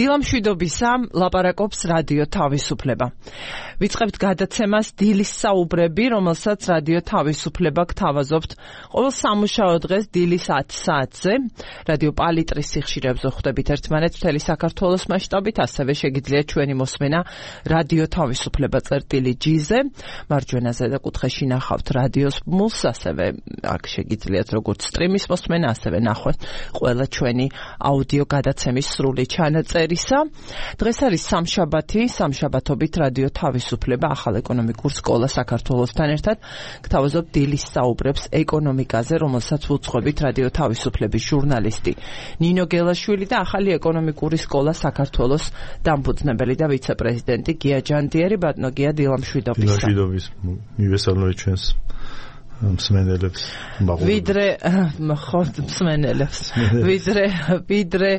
დილამშვიდობისა ლაპარაკობს რადიო თავისუფლება. ვიწყებთ გადაცემას დილის საუბრები, რომელსაც რადიო თავისუფლება გთავაზობთ ყოველ სამუშაო დღეს დილის 10 საათზე. რადიო პალიტრის სიხშირეებზე ხვდებით ერთმანეთს მთელი საქართველოს მასშტაბით, ასევე შეგიძლიათ ჩვენი მოსმენა რადიო თავისუფლება წერტილი-G-ზე. მარჯვენაზე და კუთხეში ნახავთ რადიოს ბმულს, ასევე აქ შეგიძლიათ როგორც სტრიმის მოსმენა, ასევე ნახოთ ყველა ჩვენი აუდიო გადაცემის სრული ჩანაწერისა. დღეს არის სამშაბათი, სამშაბათობით რადიო თავისუფლება ახალ ეკონომიკურ სკოლა საქართველოსთან ერთად გთავაზობ დილის საუბრებს ეკონომიკაზე, რომელსაც უძღვებით რადიო თავისუფლების ჟურნალისტი ნინო გელაშვილი და ახალი ეკონომიკური სკოლა საქართველოს დამფუძნებელი და ვიცე-პრეზიდენტი გია ჯანდიერი. ბატონო გია, დილამშვიდობის. დილამშვიდობის, მივესალმებით ჩვენს მსმენელებს. ვიდრე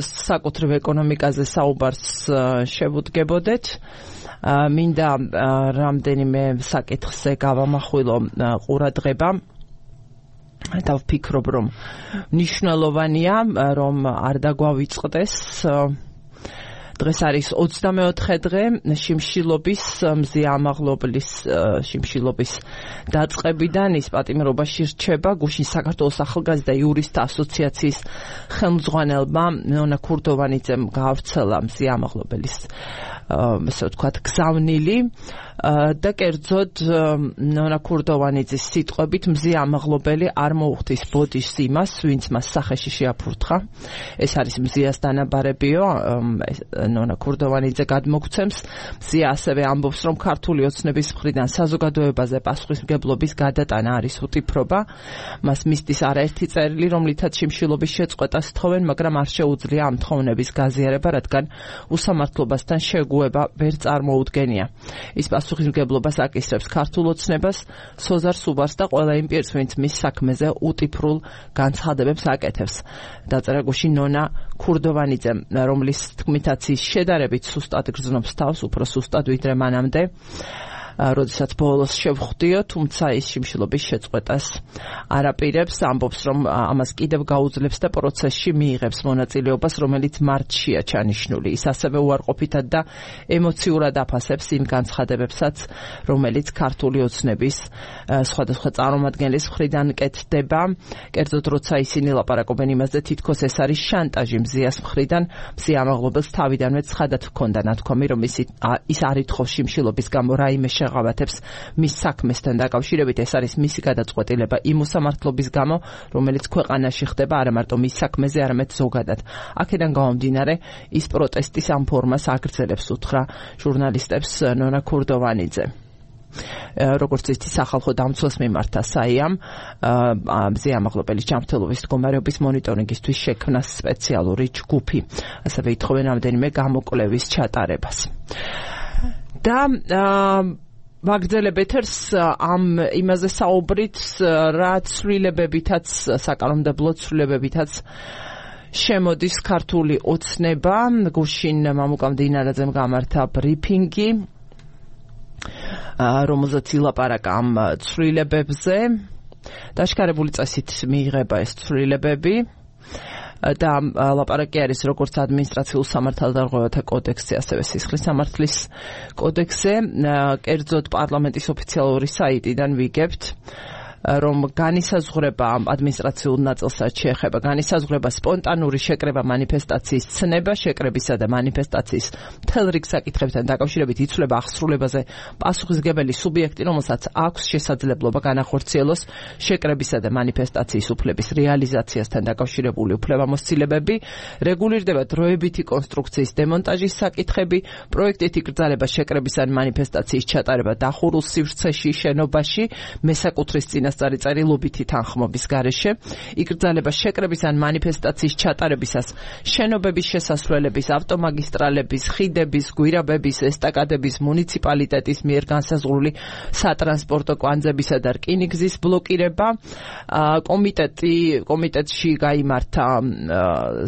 საკუთრივ ეკონომიკაზე საუბარს შევუდგებოდეთ. მინდა რამდენიმე საკითხზე გავამახვილო ყურადღება. და ვფიქრობ, რომ მნიშვნელოვანია, რომ არ დაგვავიწყდეს. დღეს არის 24 დღე შიმშილობის მზე ამაღლობლის შიმშილობის დაწყებიდან. ის პატიმრობაში რჩება გუშინ საქართველოს ახალგაზრდა იურისტთა ასოციაციის ხელმძღვანელმა ნონა ქურდოვანიძემ გაავრცელა მზე ამაღლობლის ესე ვთქვათ გზავნილი და კერძოდ ნონა ქურდოვანიძის სიტყვებით მზე ამაღლობელი არ მოუხდის ბოდიშს იმას, ვინც მას სახეში შეაფურთხა. ეს არის მზეას დანაბარებიო. ნონა ქურდოვანიძე გადმოგცემს. მზეა ასევე ამბობს, რომ ქართული ოცნების მხრიდან საზოგადოებაზე პასუხისმგებლობის გადატანა არის უტიფრობა. მას მისდის არაერთი წერილი, რომლითაც შიმშილობის შეწყვეტას თხოვენ, მაგრამ არ შეუძლია ამ თხოვნების გაზიარება, რადგან უსამართლობასთან შეგუება ვერ წარმოუდგენია. ის პასუხისმგებლობას აკისრებს ქართულ ოცნებას, სოზარ სუბარს და ყველა იმ პირს, ვინც მის საქმეზე უტიფრულ განცხადებებს აკეთებს. დაწერა გუშინ ნონა ქურდოვანიძემ, რომლის თქმითაც ის შედარებით სუსტად გრძნობს თავს, უფრო სუსტად ვიდრე მანამდე, როდესაც ბოლოს შევხვდიო, თუმცა ის შიმშილობის შეწყვეტას არაპირებს, ამბობს, რომ ამას კიდევ გაუძლებს და პროცესში მიიღებს მონაწილეობას, რომელიც მარტშია ჩანიშნული. ის ასევე უარყოფითად და ემოციურად აფასებს იმ განცხადებებსაც, რომელიც ქართული ოცნების სხვადასხვა წარმომადგენლის მხრიდან კეთდება. კერძოდ, როცა ისინი ლაპარაკობენ იმაზე, თითქოს ეს არის შანტაჟი მზეას მხრიდან, მზე ამაღლობელს თავიდანვე ცხადად ჰქონდა ნათქვამი, რომ ის არ ითხოვს შიმშილობის გამო რაიმე შეღავათებს მის საქმესთან დაკავშირებით. ეს არის მისი გადაწყვეტილება იმ უსამართლობის გამო, რომელიც ქვეყანაში ხდება არა მარტო მის საქმეზე, არამედ ზოგადად. აქედან გამომდინარე, ის პროტესტის ამ ფორმას აგრძელებს, უთხრა ჟურნალისტებს ნონა ქურდოვანიძე. როგორც იცით, სახალხო დამცველს მიმართა საიამ მზე ამაღლობელის ჯანმრთელობის მდგომარეობის მონიტორინგისთვის შექმნა სპეციალური ჯგუფი. ასევე ითხოვენ რამდენიმე გამოკვლევის ჩატარებას. და ვაგრძელებ ეთერს ამ იმაზე საუბრით, რა ცვლილებებითაც, საკანონმდებლო ცვლილებებითაც შემოდის ქართული ოცნება. გუშინ მამუკა მდინარაძემ გამართა ბრიფინგი, რომელზეც ილაპარაკა ამ ცვლილებებზე. დაშკარებული წესით მიიღება ეს ცვლილებები და ლაპარაკი არის როგორც ადმინისტრაციულ სამართალდარღვევათა კოდექსზე, ასევე სისხლის სამართლის კოდექსზე. კერძოდ პარლამენტის ოფიციალური საიტიდან ვიგებთ, რომ განისაზღვრება ადმინისტრაციულ ნაწილსაც შეეხება განისაზღვრება სპონტანური შეკრება მანიფესტაციის ცნება, შეკრებისა და მანიფესტაციის მთელ რიგ საკითხებთან დაკავშირებით იცვლება აღსრულებაზე პასუხისმგებელი სუბიექტი, რომელსაც აქვს შესაძლებლობა განახორციელოს შეკრებისა და მანიფესტაციის უფლების რეალიზაციასთან დაკავშირებული უფლებამოსილებები, რეგულირდება დროებითი კონსტრუქციის დემონტაჟის საკითხები, პროექტით იკრძალება შეკრების ან მანიფესტაციის ჩატარება დახურულ სივრცეში, შენობაში, მესაკუთრის წარიწერილობითი თანხმობის გარეშე, იკრძალება შეკრების ან მანიფესტაციის ჩატარებისას შენობების შესასვლელების, ავტომაგისტრალების, ხიდების, გვირაბების, ესტაკადების, მუნიციპალიტეტის მიერ განსაზღვრული სატრანსპორტო კვანძებისა და რკინიგზის ბლოკირება. კომიტეტში გაიმართა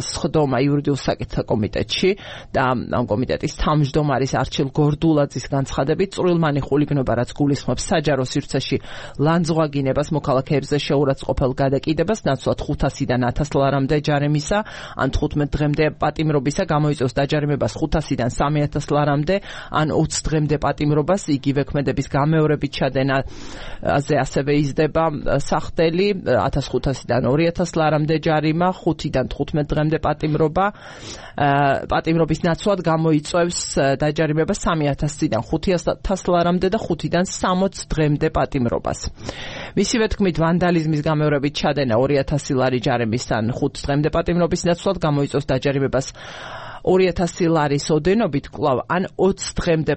სხდომა იურიდიულ საკითხთა კომიტეტში და ამ კომიტეტის თავმჯდომარის არჩილ გორდულაძის განცხადებით, წვრილმანი ხულიგნობა, რაც გულისხმობს საჯარო სივრცეში ლანძღვაგინებას აბანებას მოქალაქეებზე შეურაცხყოფელ გადაკიდებას ნაცვლად 500-დან 1000 ლარამდე ჯარიმისა ან 15 დღემდე პატიმრობისა გამოიწვევს დაჯარიმებას 500-დან 3000 ლარამდე ან 20 დღემდე პატიმრობას იგივე ქმედების გამეორებით ჩადენაზე ასევე იზრდება სახდელი 1500-დან 2000 ლარამდე ჯარიმა 5-დან 15 დღემდე პატიმრობის ნაცვლად გამოიწვევს დაჯარიმებას 3000-დან 5000 ლარამდე და 5-დან 60 დღემდე პატიმრობას. მისივე თქმით, ვანდალიზმის გამეორებით ჩადენა 2000 ლარი ჯარიმის ან 5 დღემდე პატიმრობის ნაცვლად გამოიწვევს დაჯარიმებას 2000 ლარის ოდენობით კვლავ ან 20 დღემდე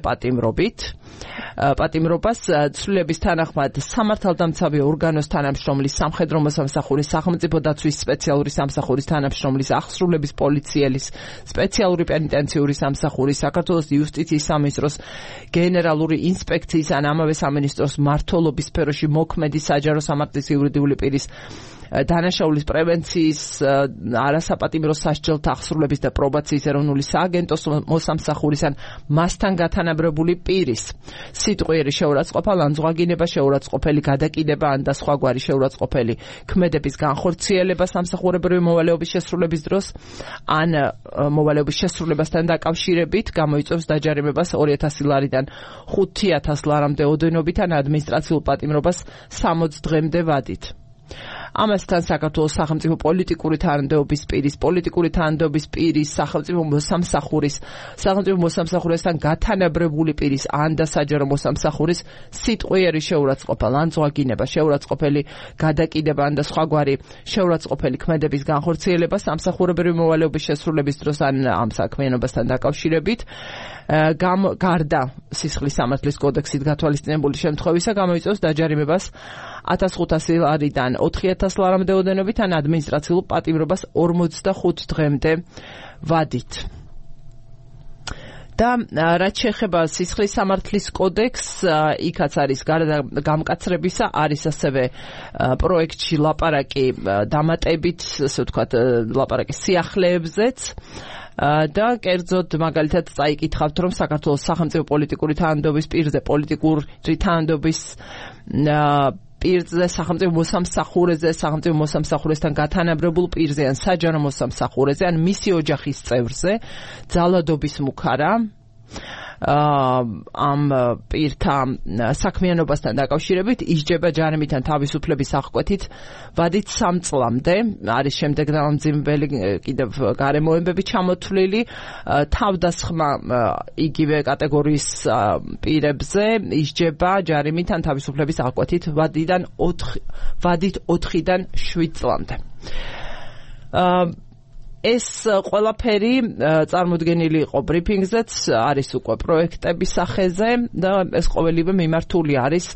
პატიმრობას ცვლილების თანახმად სამართალდამცავი ორგანოს თანამშრომლის, სამხედრო მოსამსახურის, სახელმწიფო დაცვის სპეციალური სამსახურის თანამშრომლის, აღსრულების პოლიციელის, სპეციალური პენიტენციური სამსახურის, საქართველოს იუსტიციის სამინისტროს გენერალური ინსპექციის ან ამავე სამინისტროს მმართველობის სფეროში მოქმედი საჯარო სამართლის იურიდიული პირის დანაშაულის პრევენციის, არასაპატიმრო სასჯელთა აღსრულების და პრობაციის ეროვნული სააგენტოს მოსამსახურის ან მასთან გათანაბრებული პირის სიტყვიერი შეურაცხყოფა, ლანძღვაგინება, შეურაცხყოფელი გადაკიდება ან და სხვაგვარი შეურაცხყოფელი ქმედების განხორციელება სამსახურებრივი მოვალეობის შესრულების დროს ან მოვალეობის შესრულებასთან დაკავშირებით გამოიწვევს დაჯარიმებას 2000 ლარიდან 5000 ლარამდე ოდენობით ან ადმინისტრაციულ პატიმრობას 60 დღემდე ვადით. ამასთან საქართველოს სახელმწიფო პოლიტიკური თანამდებობის პირის, სახელმწიფო მოსამსახურესთან გათანაბრებული პირის ან და საჯარო მოსამსახურის სიტყვიერი შეურაცხყოფა, ლანძღვაგინება, შეურაცხყოფელი გადაკიდება ან და სხვაგვარი შეურაცხყოფელი ქმედების განხორციელება სამსახურებრივი მოვალეობის შესრულების დროს ან ამ საქმიანობასთან დაკავშირებით გარდა სისხლის სამართლის კოდექსით გათვალისწინებული შემთხვევისა გამოიწვევს დაჯარიმებას 1500 ლარიდან 4000 ლარამდე ოდენობით ან ადმინისტრაციულ პატიმრობას 45 დღემდე ვადით. და რაც შეეხება სისხლის სამართლის კოდექსს, იქაც არის გარდა გამკაცრებისა, არის ასევე პროექტში ლაპარაკი დამატებით, ასე ვთქვათ, ლაპარაკი სიახლეებზეც. და კერძოდ მაგალითად წაიკითხავთ, რომ საქართველოს სახელმწიფო პოლიტიკური თანამდებობის პირზე, პოლიტიკური თანამდებობის პირზე, სახელმწიფო მოსამსახურეზე, სახელმწიფო მოსამსახურესთან გათანაბრებულ პირზე ან საჯარო მოსამსახურეზე ან მისი ოჯახის წევრზე ძალადობის მუქარა ამ პირთა საქმიანობასთან დაკავშირებით ისჯება ჯარიმით ან თავისუფლების აღკვეთით ვადით 3 წლამდე. არის შემდეგ დამამძიმებელი კიდევ გარემოებები ჩამოთვლილი თავდასხმა იგივე კატეგორიის პირებზე ისჯება ჯარიმით ან თავისუფლების აღკვეთით ვადით 4-დან 7 წლამდე. ეს ყველაფერი წარმოდგენილი იყო ბრიფინგზეც, არის უკვე პროექტების სახეზე და ეს ყოველივე მიმართული არის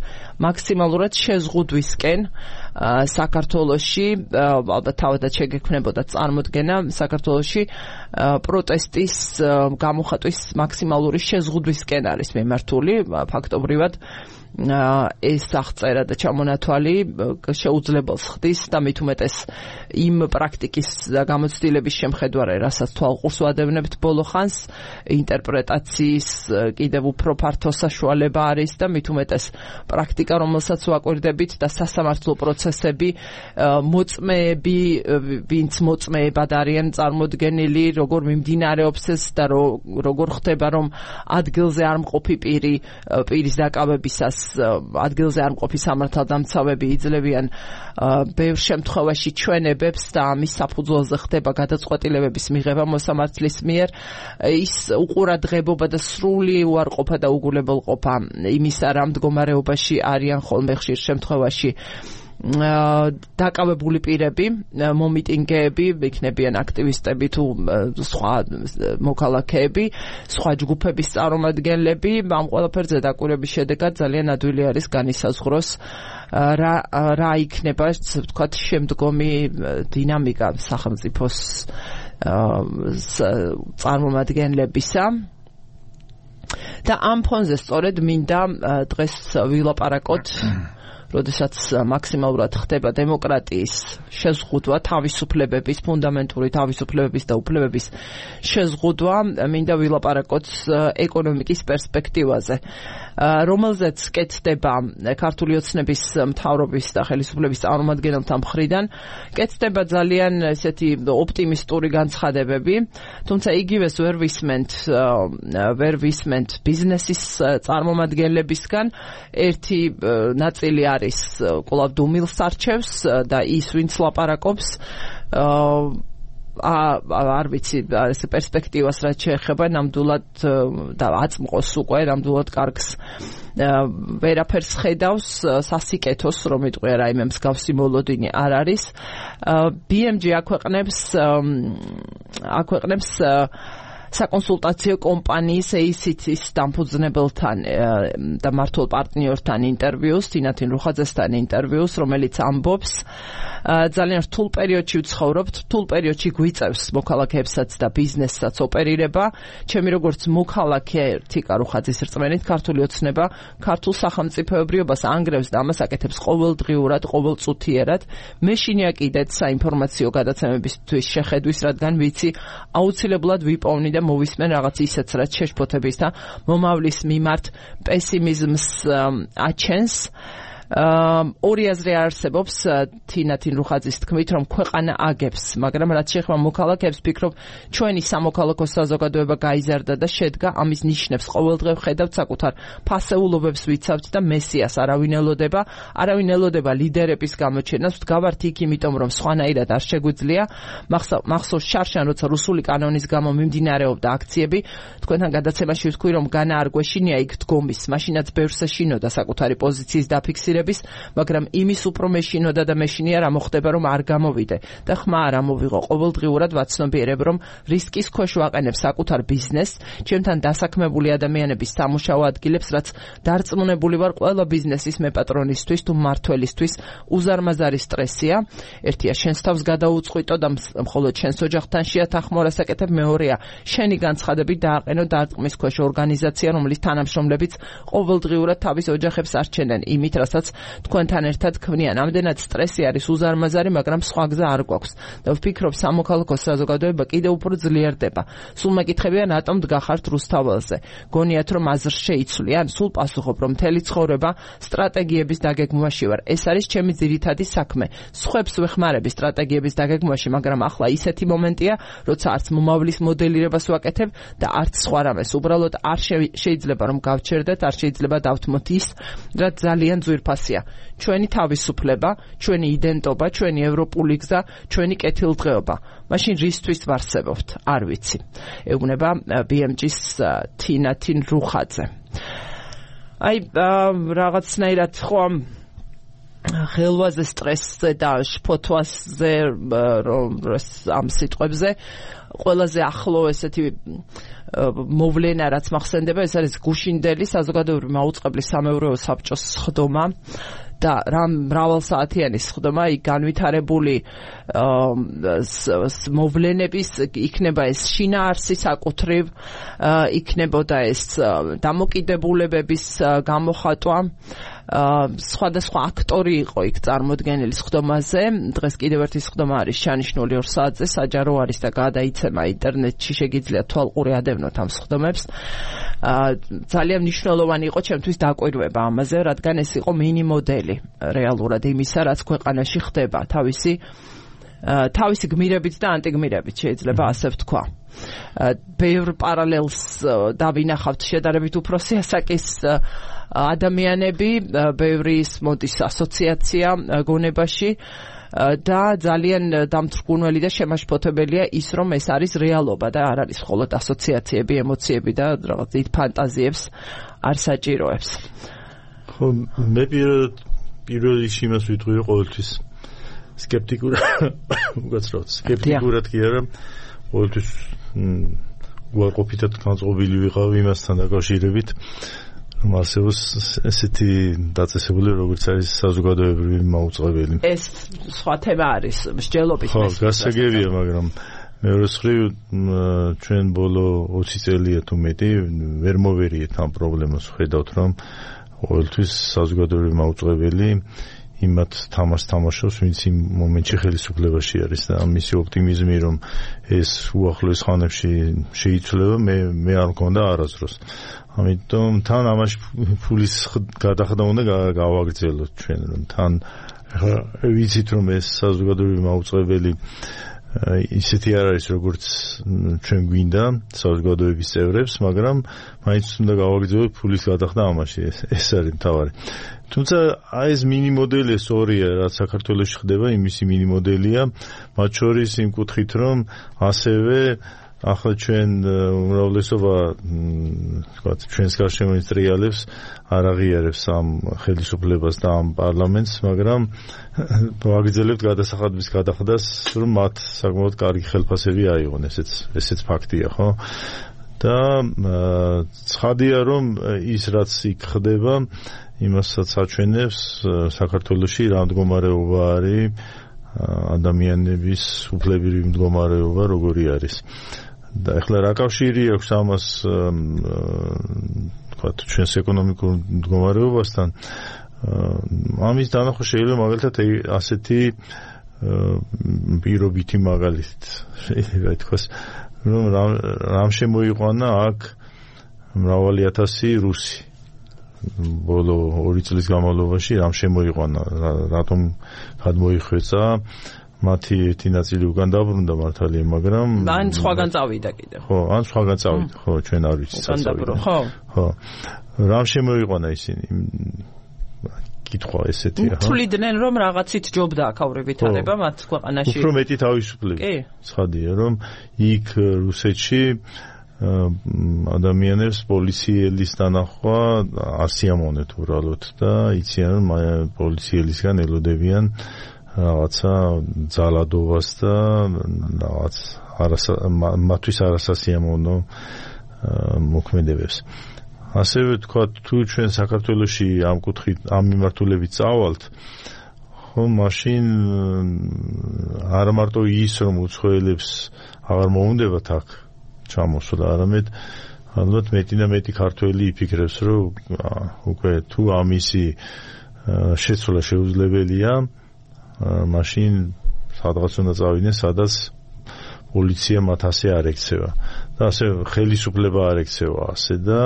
მაქსიმალურად შეზღუდვისკენ საქართველოში, ალბათ თავადაც შეგექმნებოდა წარმოდგენა საქართველოში პროტესტის გამოხატვის მაქსიმალური შეზღუდვისკენ არის მიმართული, ფაქტობრივად ეს აღწერა და ჩამონათვალი შეუძლებელს ხდის და მით უმეტეს იმ პრაქტიკის გამოცდილების შემხედვარე, რასაც თვალყურს ვადევნებთ ბოლო ხანს, ინტერპრეტაციის კიდევ უფრო ფართო საშუალება არის და მით უმეტეს პრაქტიკა, რომელსაც ვაკვირდებით და სასამართლო პროცესები, მოწმეები, ვინც მოწმეებად არიან წარმოდგენილი, როგორ მიმდინარეობს ეს და როგორ ხდება, რომ ადგილზე არ მყოფი პირის დაკავებისას ადგილზე არ მყოფი სამართალდამცავები იძლევიან ბევრ შემთხვევაში ჩვენებებს და ამის საფუძველზე ხდება გადაწყვეტილებების მიღება მოსამართლის მიერ. ის უყურადღებობა და სრული უარყოფა და უგულებელყოფა იმისა, რა მდგომარეობაში არიან ხოლმე ხშირ შემთხვევაში დაკავებული პირები, მომიტინგეები, იქნებიან აქტივისტები თუ სხვა მოქალაქეები, სხვა ჯგუფების წარმომადგენლები, ამ ყველაფერზე დაკვირვების შედეგად ძალიან ადვილი არის განისაზღვროს რა იქნება, ვთქვათ, შემდგომი დინამიკა სახელმწიფოს წარმომადგენლებისა. და ამ ფონზე სწორედ მინდა დღეს ვილაპარაკოთ როდესაც მაქსიმალურად ხდება დემოკრატიის შეზღუდვა, თავისუფლებების, ფუნდამენტური თავისუფლებების და უფლებების შეზღუდვა, მინდა ვილაპარაკოთ ეკონომიკის პერსპექტივაზე, რომელზეც კეთდება ქართული ოცნების მთავრობის და ხელისუფლების წარმომადგენელთა მხრიდან, კეთდება ძალიან ესეთი ოპტიმისტური განცხადებები, თუმცა იგივეს ვერ ვისმენთ ბიზნესის წარმომადგენლებისგან. ერთი ნაწილი არის კვლავ დუმილს არჩევს და ის ვინც ლაპარაკობს არ ვიცი ეს პერსპექტივას რაც შეეხება ნამდვილად და აწმყოს უკვე ნამდვილად კარგს ვერაფერს ხედავს სასიკეთოს რომ იტყვია რაიმე მსგავსი მოლოდინი არ არის BMG აქვეყნებს საკონსულტაციო კომპანიის ACT-ის დამფუძნებელთან და მმართველ პარტნიორთან ინტერვიუს, თინათინ რუხაძესთან ინტერვიუს, რომელიც ამბობს, ძალიან რთულ პერიოდში ვცხოვრობთ, რთულ პერიოდში გვიწევს მოქალაქეებსაც და ბიზნესსაც ოპერირება. ჩემი როგორც მოქალაქე თიკა რუხაძის რწმენით, ქართული ოცნება ქართულ სახელმწიფოებრიობას ანგრევს და ამას აკეთებს ყოველდღიურად, ყოველწუთიერად. მე შინიაკიდეთ საინფორმაციო გადაცემებისთვის შეხედვის, რადგან ვიცი, აუცილებლად ვიპოვნი და მოვისმენ რაღაც ისეთს, რაც შეშფოთების და მომავლის მიმართ პესიმიზმს აჩენს. ორი აზრი არსებობს თინათინ რუხაძის თქმით, რომ ქვეყანა აგებს, მაგრამ რაც შეეხება მოქალაქეებს, ვფიქრობ, ჩვენი სამოქალაქო საზოგადოება გაიზარდა და შედგა, ამის ნიშნებს ყოველდღე ვხედავთ, საკუთარ ფასეულობებს ვიცავთ და მესიას არავინ ელოდება ლიდერების გამოჩენას, ვდგავართ იქ, იმიტომ რომ სხვანაირად არ შეგვიძლია. მახსოვს შარშან, როცა რუსული კანონის გამო მიმდინარეობდა აქციები, თქვენთან გადაცემაში ვთქვი, რომ განა არ გვეშინია იქ დგომის, მაშინაც ბევრს ეშინოდა საკუთარი პოზიციის დაფიქსირება, მაგრამ იმის უფრო მეშინოდა და მეშინია რა მოხდება რომ არ გამოვიდე და ხმა არ ამოვიღო. ყოველდღიურად ვაცნობიერებ რომ რისკის ქვეშ ვაყენებ საკუთარ ბიზნესს, ჩემთან დასაქმებული ადამიანების სამუშაო ადგილებს, რაც დარწმუნებული ვარ ყველა ბიზნესის მეპატრონისთვის თუ მმართველისთვის უზარმაზარი სტრესია. ერთია შენს თავს გადაუწყვიტო და მხოლოდ შენს ოჯახთან შეათანხმო საკეთებ, მეორეა შენი განცხადები დააყენო დარტყმის ქვეშ ორგანიზაცია, რომლის თანამშრომლებიც ყოველდღიურად თავის ოჯახებს არჩენენ იმით, რასაც თქვენთან ერთად ქმნიან. ამდენად სტრესი არის უზარმაზარი, მაგრამ სხვა გზა არ გვაქვს და ვფიქრობ სამოქალაქო საზოგადოება კიდევ უფრო ძლიერდება. სულ მეკითხებიან რატომ დგახართ რუსთაველზე. გონიათ რომ აზრს შეიცვლიან? სულ პასუხობ რომ მთელი ცხოვრება სტრატეგიების დაგეგმვაში ვარ. ეს არის ჩემი ძირითადი საქმე. სხვებს ვეხმარები სტრატეგიების დაგეგმვაში, მაგრამ ახლა ისეთი მომენტია, როცა არც მომავლის მოდელირებას ვაკეთებ და არც სხვა რამეს. უბრალოდ არ შეიძლება რომ გავჩერდეთ, არ შეიძლება დავთმოთ ის, რაც ძალიან ძვირფასია. ჩვენი თავისუფლება, ჩვენი იდენტობა, ჩვენი ევროპული გზა, ჩვენი კეთილდღეობა. მაშინ რისთვის ვარსებობთ? არ ვიცი. ეუბნება BMG-ს თინათინ რუხაძე. რაღაცნაირად ხო ხელვაზე სტრესზე და შფოთვაზე ამ სიტყვებზე ყველაზე ახლო ესეთი მოვლენა რაც მახსენდება, ეს არის გუშინდელი საზოგადოებრივი მაუწყებლის სამეურვეო საბჭოს სხდომა და მრავალსაათიანი სხდომა, იქ განვითარებული მოვლენების იქნება ეს შინაარსი საკუთრივ, იქნებოდა ეს დამოკიდებულებების გამოხატვა, სხვადასხვა აქტორი იყო იქ წარმოდგენილი სხდომაზე. დღეს კიდევ ერთი სხდომა არის შეანიშნული 2 საათზე, საჯარო არის და გადაიცემა ინტერნეტში, შეგიძლიათ თვალყური ადევნოთ ამ სხდომებს. ძალიან მნიშვნელოვანი იყო ჩემთვის დაკვირვება ამაზე, რადგან ეს იყო მინი მოდელი რეალურად იმისა, რაც ქვეყანაში ხდება, თავისი გმირებით და ანტიგმირებით შეიძლება ასე ვთქვა. ბევრ პარალელს დავინახავთ შედარებით უფროსი ასაკის ადამიანები, ბევრი მოდის ასოციაცია გონებაში და ძალიან დამთრგუნველი და შემაშფოთებელია ის, რომ ეს არის რეალობა და არ არის მხოლოდ ასოციაციები, ემოციები და რაღაც დიდ ფანტაზიებს არ საჭიროებს. ხო, მე პირველ რიგში იმას ვიტყვი ყოველთვის სკეპტიკურად კი არა, ყოველთვის უარყოფითად განწყობილი ვიყავ იმასთან დაკავშირებით, რომ არსებობს ესეთი დაწესებული, როგორც არის საზოგადოებრივი მაუწყებელი. ეს სხვა თემა არის, მსჯელობის. ხო, გასაგებია, მაგრამ მეორე მხრივ ჩვენ ბოლო 20 წელია თუ მეტი ვერ მოვერიეთ ამ პრობლემას, ხედავთ რომ ყოველთვის საზოგადოებრივი მაუწყებელი იმათ თამაშს თამაშობს, ვინც იმ მომენტში ხელისუფლებაში არის და მისი ოპტიმიზმი, რომ ეს უახლოეს ხანებში შეიცვლება, მე არ მქონდა არასდროს. ამიტომ თან ამაში ფულის გადახდა უნდა გავაგრძელოთ ჩვენ, რომ თან ვიცით, რომ ეს საზოგადოებრივი მაუწყებელი ისეთი არ არის, როგორც ჩვენ გვინდა საზოგადოების წევრებს, მაგრამ მაინც უნდა გავაგრძელოთ ფულის გადახდა ამაში, ეს არის მთავარი. თუმცა აი ეს მინი მოდელი ეს ორია, რაც საქართველოში ხდება, იმისი მინი მოდელია, მათ შორის იმ კუთხით, რომ ასევე ახლა ჩვენ უმრავლესობა თქვათ ჩვენს გარშემო ინდუსტრიალებს არ აღიარებს ამ ხელისუფლებას და ამ პარლამენტს, მაგრამ ვაგრძელებთ გადასახადების გადახდას, რომ მათ საკმაოდ კარგი ხელფასები აიღონ, ესეც ფაქტია, ხო? და ცხადია, რომ ის რაც იქ ხდება, იმასაც აჩვენებს საქართველოში რა მდგომარეობა არის, ადამიანების უფლებრივი მდგომარეობა როგორი არის. და ეხლა რა კავშირი აქვს ამას თქვათ ჩვენს ეკონომიკურ მდგომარეობასთან? ამის დანახვა შეიძლება მაგალითად ასეთი პირობითი მაგალითით შეიძლება ითქვას, რომ რამ შემოიყვანა აქ მრავალი ათასი რუსი ბოლო 2 წლის განმავლობაში, რამ შემოიყვანა, რატომ გადმოიხვეწა, მათი ერთი ნაწილი უკან დაბრუნდა მართალია, მაგრამ ან სხვაგან წავიდა კიდე. ხო, ან სხვაგან წავიდა, ხო, ჩვენ არ ვიცით წავიდა. ხო. რამ შემოიყვანა ისინი? კითხვა ესეთია, ხო? თვლიდნენ, რომ რაღაცით ჯობდა აქაურებითანება მათ ქვეყანაში. უფრო მეტი თავისუფლება. კი. ცხადია, რომ იქ რუსეთში ადამიანებს პოლიციელის დანახვა არ სიამოვნეთ უბრალოდ და იციან, რომ პოლიციელისგან ელოდებიან რაღაცა ძალადობას და რაღაც მათთვის არასასიამოვნო მოქმედებებს. ასევე თქვა, თუ ჩვენ საქართველოში ამ კუთხით, ამ მიმართულებით წავალთ, ხო, მაშინ არა მარტო ის, რომ უცხოელებს აღარ მოუნდებათ აქ ჩამოსვლა, არამედ ალბათ მეტი და მეტი ქართველი იფიქრებს, რომ უკვე თუ ამისი შეცვლა შეუძლებელია, მაშინ სადღაც უნდა წავიდნენ, სადაც პოლიცია მათ ასე არ ექცევა და ასე ხელისუფლება არ ექცევა ასე და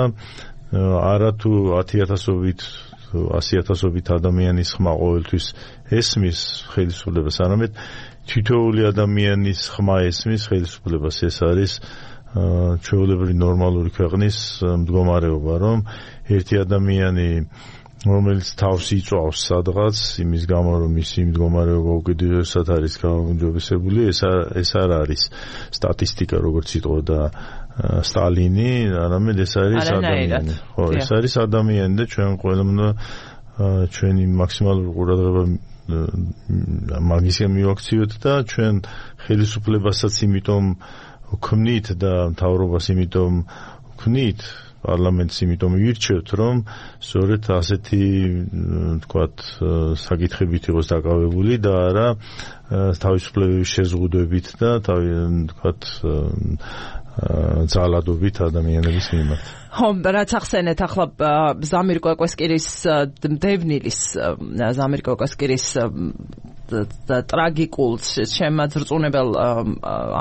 არა თუ 10,000-ობით 100,000-ობით ადამიანის ხმა ყოველთვის ესმის ხელისუფლებას, არამედ თითოეული ადამიანის ხმა ესმის ხელისუფლებას. ეს არის ჩვეულებრივი ნორმალური ქვეყნის მდგომარეობა, რომ ერთი ადამიანი რომელიც თავს იწვავს სადღაც იმის გამო, რომ მისი მდგომარეობა უკიდურესად არის გაუმჯობესებული, ეს არ არის სტატისტიკა, როგორც იტყოდა სტალინი, არამედ ეს არის ადამიანი. ხო, ეს არის ადამიანი და ჩვენ ყველამ უნდა ჩვენი მაქსიმალური ყურადღება მაგისგან მივაქციოთ და ჩვენ ხელისუფლებასაც იმიტომ ვქმნით და მთავრობას იმიტომ ვქმნით, პარლამენტს იმიტომ ირჩევთ, რომ სწორედ ასეთი თქვათ საკითხებით იყოს დაკავებული და არა თავისუფლებების შეზღუდვებით და თქვათ ძალადობით ადამიანების მიმართ. ხო, რაც ახსენეთ ახლა ზამիր კვაკესკირის დევნილის ზამիր კვაკესკირის ტრაგიკულ შემაძრწუნებელ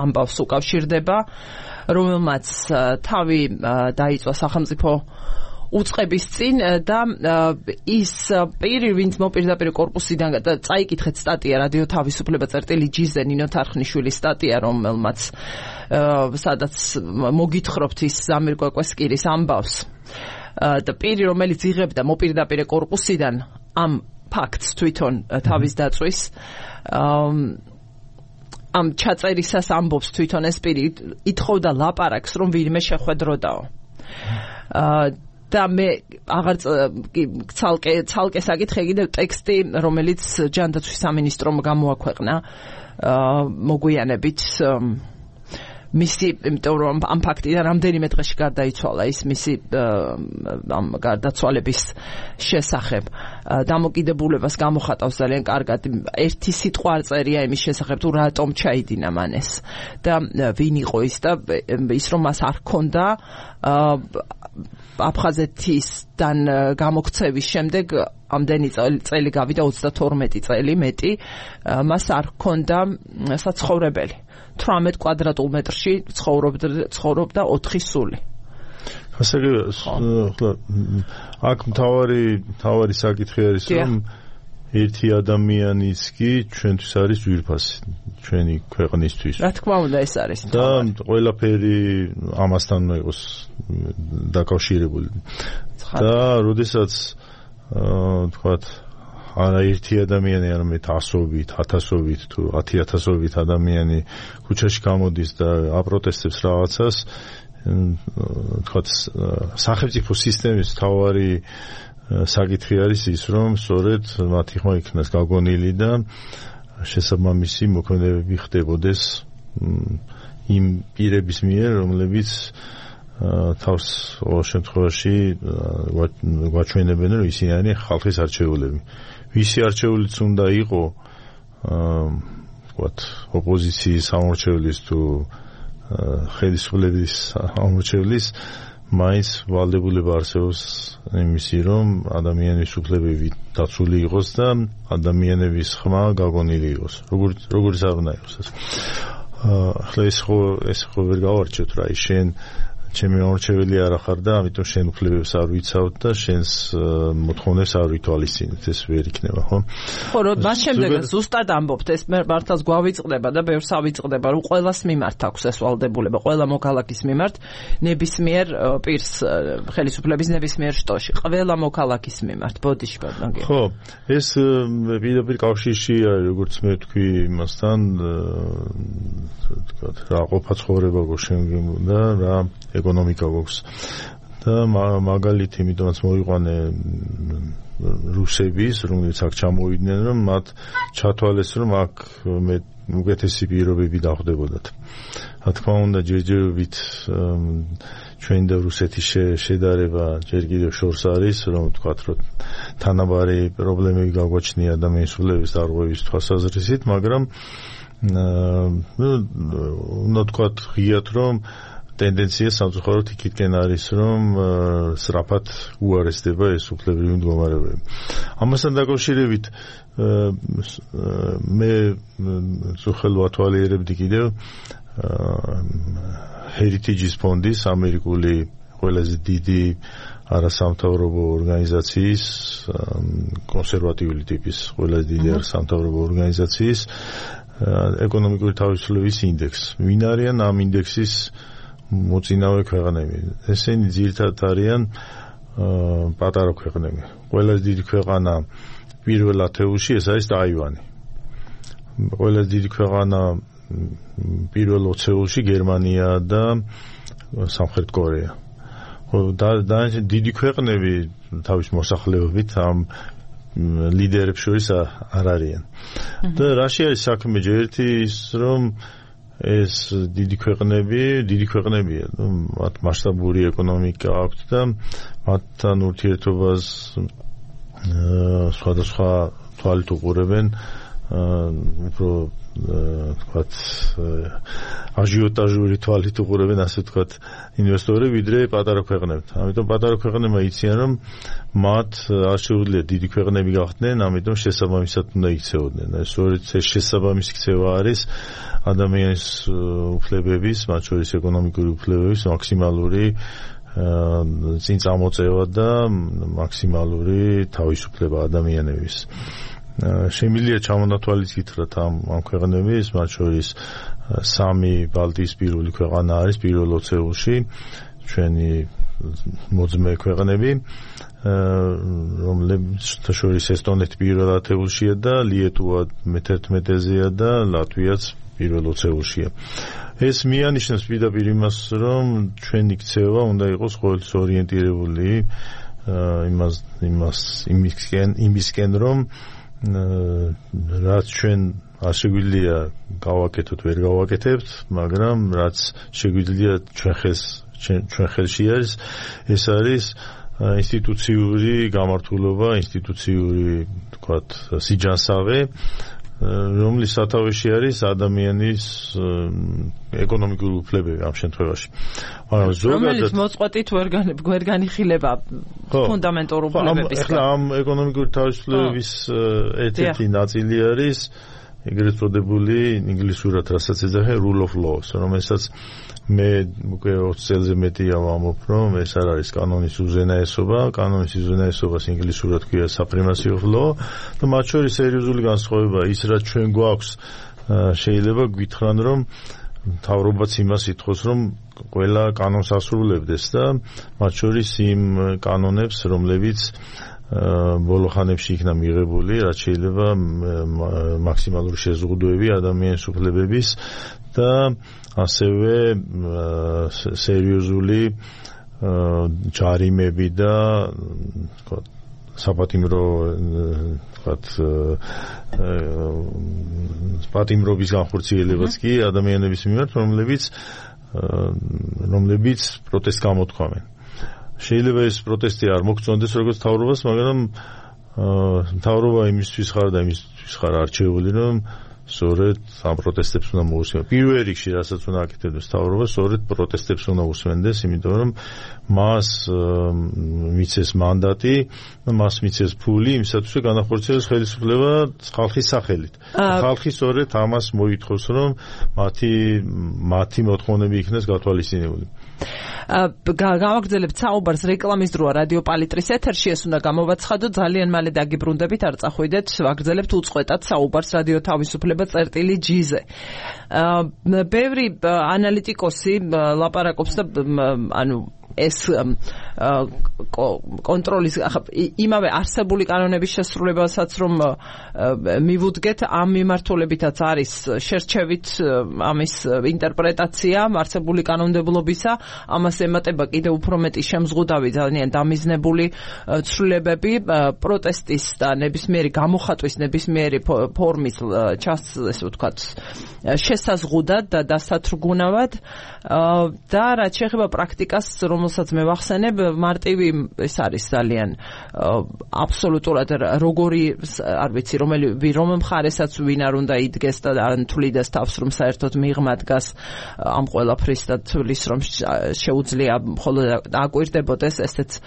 ამბავს უკავშირდება, რომელმაც თავი დაიწვა სახელმწიფო უწყების წინ და ის პირი, ვინც მოპირდაპირ კორპუსიდან წაიკითხეთ სტატია რადიო თავისუფლება წერტილი ჯიზე ნინო თარხნიშვილის სტატია, რომელმაც სადაც მოგითხრობთ ის ზამիր კვაკესკირის ამბავს და პირი, რომელიც იღებდა მოპირდაპირ კორპუსიდან ამ ფაქტს თვითონ თავის დაწვის ამ ჩაწერისას ამბობს თვითონ ეს პირი, ითხოვდა ლაპარაკს, რომ ვინმე შეხვედროდაო. და მე აღარ ცალკე საკითხე კიდევ ტექსტი, რომელიც ჯანდაცვის სამინისტრომ გამოაქვეყნა მოგვიანებით მისი, იმიტომ რომ ამ ფაქტიდან რამდენიმე დღეში გარდაიცვალა ის მისი ამ გარდაცვალების შესახებ. დამოკიდებულებას გამოხატავს ძალიან კარგად. ერთი სიტყვა არ წერია იმის შესახებ, თუ რატომ ჩაიდინა მან ეს და ვინ იყო ის და ის რომ მას არ ჰქონდა აფხაზეთისგან გამოქცევის შემდეგ ამდენი წელი გავიდა 32 წელი მეტი მას არ ჰქონდა საცხოვრებელი 18 კვადრატულ მეტრში ცხოვრობდა 4 სული ასე აქ მთავარი საკითხი არის რომ ერთი ადამიანის კი ჩვენთვის არის ძვირფასი ჩვენი ქვეყნისთვის რა თქმა უნდა ეს არის და ყველაფერი ამასთან იყოს დაკავშირებული და როდესაც თქვათ არა ერთი ადამიანი არამედ ასობით, ათასობით თუ 10,000-ობით ადამიანი ქუჩაში გამოდის და აპროტესტებს რაღაცას თქვათ სახელმწიფო სისტემის მთავარი საკითხი არის ის რომ სწორედ მათი ხმა იქნას გაგონილი და შესაბამისი მოქმედებები ხდებოდეს იმ პირების მიერ რომლებიც თავს ყოველ შემთხვევაში გვაჩვენებენ რომ ისინი არიან ხალხის არჩეულები ვისი არჩეულიც უნდა იყო ვთქვათ ოპოზიციის ამორჩევლის თუ ხელისუფლების ამორჩევლის მაინც ვალდებულება არსებობს იმისი რომ ადამიანის უფლებები დაცული იყოს და ადამიანების ხმა გაგონილი იყოს როგორც არ უნდა იყოს ახლა ეს ხო ვერ გავარჩევთ რა ის შენ ჩემი ამორჩეველი არ ახარ და ამიტომ შენ უფლებებს არ ვიცავ და შენს მოთხოვნებს არ ვითვალისწინებ ეს ვერ იქნება ხო ხო რომ მას შემდეგ ზუსტად ამბობთ ეს მართლაც გვავიწყდება და ბევრს ავიწყდება რომ ყველას მიმართ აქვს ეს ვალდებულება ყველა მოქალაქის მიმართ ნებისმიერ პირს ხელისუფლების ნებისმიერ შტოში ყველა მოქალაქის მიმართ ბოდიში ბატონო ხო ეს პირდაპირ კავშირში არის როგორც მე ვთქვი იმასთან თქვა რა ყოფა ცხოვრება გოშენგებოდა რა ეკონომიკა გვაქვს და მაგალითი იმიტომაც მოიყვანე რუსების რომლებიც აქ ჩამოვიდნენ რომ მათ ჩათვალეს რომ აქ უკეთესი პირობები დახვდებოდათ რა თქმა უნდა ჯერჯერობით ჩვენი და რუსეთის შედარება ჯერ კიდევ შორს არის რომ ვთქვათ რომ თანაბარი პრობლემები გაგვაჩნია ადამიანის უფლებების დარღვევის თვალსაზრისით მაგრამ უნდა ვთქვათ ღიად რომ ტენდენცია სამწუხაროდ იქითკენ არის რომ სწრაფად უარესდება ეს უფლებრივი მდგომარეობები. ამასთან დაკავშირებით მე ზოხელ ვათვალიერებდი კიდევ Heritage ფონდის ამერიკული ყველაზე დიდი არასამთავრობო ორგანიზაციის კონსერვატიული ტიპის ყველაზე დიდი არასამთავრობო ორგანიზაციის ეკონომიკური თავისუფლების ინდექსი. ვინ არიან ამ ინდექსის მოწინავე ქვეყნები? ესენი ძირითადად არიან პატარა ქვეყნები. ყველაზე დიდი ქვეყანა პირველ ათეულში ეს არის ტაივანი. ყველაზე დიდი ქვეყანა პირველ 20-ში გერმანია და სამხრეთ კორეა. და დიდი ქვეყნები თავის მოსახლეობით ამ ლიდერებს შორის არ არიან. და რაში არის საქმე? ერთი ის რომ ეს დიდი ქვეყნებია, მათ მასშტაბური ეკონომიკა აქვთ და მათთან ურთიერთობას სხვადასხვა თვალით უყურებენ უფრო თქვათ აჟიოტაჟური თვალით უყურებენ ასე თქვათ ინვესტორები ვიდრე პატარა ქვეყნებთან. ამიტომ პატარა ქვეყნებმა იციან რომ მათ არ შეუძლია დიდი ქვეყნები გახდნენ, ამიტომ შესაბამისად უნდა იქცეოდნენ. სწორედ ეს შესაბამისი ქცევა არის ადამიანის უფლებების, მათ შორის ეკონომიკური უფლებების მაქსიმალური წინ წამოწევა და მაქსიმალური თავისუფლება ადამიანების. შემიძლია ჩამონათვალის გითხრათ ამ ქვეყნების, მათ შორის 3 ბალტიისპირული ქვეყანა არის პირველ 20-ში, ჩვენი მოძმე ქვეყნები, რომლებიც შორის ესტონეთი პირველ 10-შია და ლიეტუვა მე-11-ზეა და ლატვიაც პირველ 20-შია. ეს მიანიშნებს პირდაპირ იმას, რომ ჩვენი ქცევა უნდა იყოს ყოველთვის ორიენტირებული იმისკენ, რომ რაც ჩვენ შეგვიძლია გავაკეთოთ, ვერ გავაკეთებთ, მაგრამ რაც შეგვიძლია ჩვენ ხელში არის, ეს არის ინსტიტუციური გამართულება, ინსტიტუციური, თქვათ, სიჯანსაღე, რომლის სათავეში არის ადამიანის ეკონომიკური უფლებები ამ შემთხვევაში. მაგრამ რომელიც მოწყვეტით ვერ განიხილება ფუნდამენტურ უფლებების. ახლა ამ ეკონომიკური თავისუფლებების ერთ-ერთი ნაწილი არის ეგრეთ წოდებული ინგლისურად რასაც ეძახიან rule of law, რომელსაც მე უკვე 20 წელზე მეტია ვამბობ, რომ ეს არ არის კანონის უზენაესობა, კანონის უზენაესობას ინგლისურად ქვია supremacy of law და მათ შორის სერიოზული განსხვავება ის, რაც ჩვენ გვაქვს, შეიძლება გითხრან, რომ მთავრობაც იმას ითხოვს, რომ ყველა კანონს ასრულებდეს და მათ შორის იმ კანონებს, რომლებიც ბოლო ხანებში იქნა მიღებული, რაც შეიძლება მაქსიმალური შეზღუდვები ადამიანის უფლებების და ასევე სერიოზული ჯარიმები და საპატიმრო პატიმრობის განხორციელებაც კი ადამიანების მიმართ, რომლებიც პროტესტს გამოთქვამენ. შეიძლება ეს პროტესტი არ მოგწონდეს როგორც მთავრობას, მაგრამ მთავრობა იმისთვის ხარ და იმისთვის ხარ არჩეული, რომ სწორედ ამ პროტესტებს უნდა მოусმენდეს. პირველ რიგში, რასაც უნდა აკეთებდეს მთავრობა, სწორედ პროტესტებს უნდა უსმენდეს, იმიტომ რომ მას მიცეს მანდატი, მას მიცეს ფული იმისათვის, რომ განახორციელოს ხელისუფლება ხალხის სახელით. ხალხი სწორედ ამას მოითხოვს, რომ მათი მოთხოვნები იქნას გათვალისწინებული. გავაგრძელებთ საუბარს რეკლამის დროა რადიო პალიტრის ეთერში, ეს უნდა გამოვაცხადოთ, ძალიან მალე დაგიბრუნდებით, არ წახვიდეთ, ვაგრძელებთ უწყვეტად საუბარს რადიო თავისუფლება წერტილი-G-ზე. ბევრი ანალიტიკოსი ლაპარაკობს და ანუ ეს კონტროლის იმავე არსებული კანონების შესრულებასაც რომ მივუდგეთ, ამ მიმართულებითაც არის შერჩევით ამის ინტერპრეტაცია არსებული კანონმდებლობისა, ამას ემატება კიდევ უფრო მეტი შემზღუდავი, ძალიან დამიზნებული ცვლილებები, პროტესტის და ნებისმიერი გამოხატვის, ნებისმიერი ფორმის ესე ვთქვათ, შესაზღუდად და დასათრგუნავად და რაც შეეხება პრაქტიკას, რომელსაც მე ვახსენებ, მარტივი ეს არის ძალიან აბსოლუტურად როგორი არ ვიცი რომ მხარესაც ვინ არ უნდა იდგეს და ან თვლიდეს თავს რომ საერთოდ მიღმა დგას ამ ყველაფრის და თვლის რომ შეუძლია მხოლოდ აკვირდებოდეს ესეც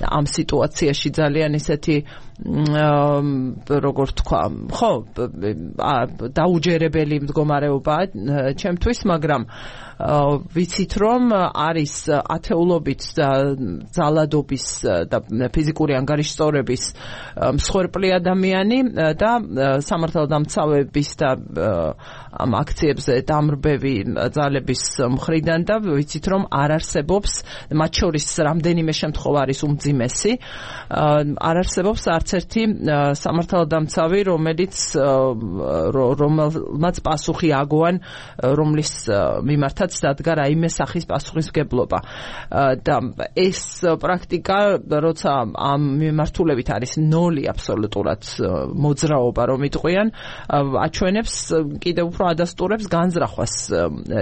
ამ სიტუაციაში ძალიან ისეთი როგორ თქვა, ხო, დაუჯერებელი მდგომარეობა ჩემთვის, მაგრამ ვიცით რომ არის ათეულობით ძალადობის და ფიზიკური ანგარიშსწორების მსხვერპლი ადამიანი და სამართალდამცავების და ამ აქციებზე დამრბევი ძალების მხრიდან და ვიცით რომ არ არსებობს, მათ შორის რამდენიმე შემთხვევა არის უმძიმესი, არ არსებობს არც ერთი სამართალდამცავი, რომელმაც პასუხი აგოან, რომლის მიმართაც დადგა რაიმე სახის პასუხისმგებლობა. და ეს პრაქტიკა, როცა ამ მიმართულებით არის ნოლი აბსოლუტურად მოძრაობა, რომ იტყვიან, აჩვენებს კიდევ უფრო ადასტურებს განზრახვას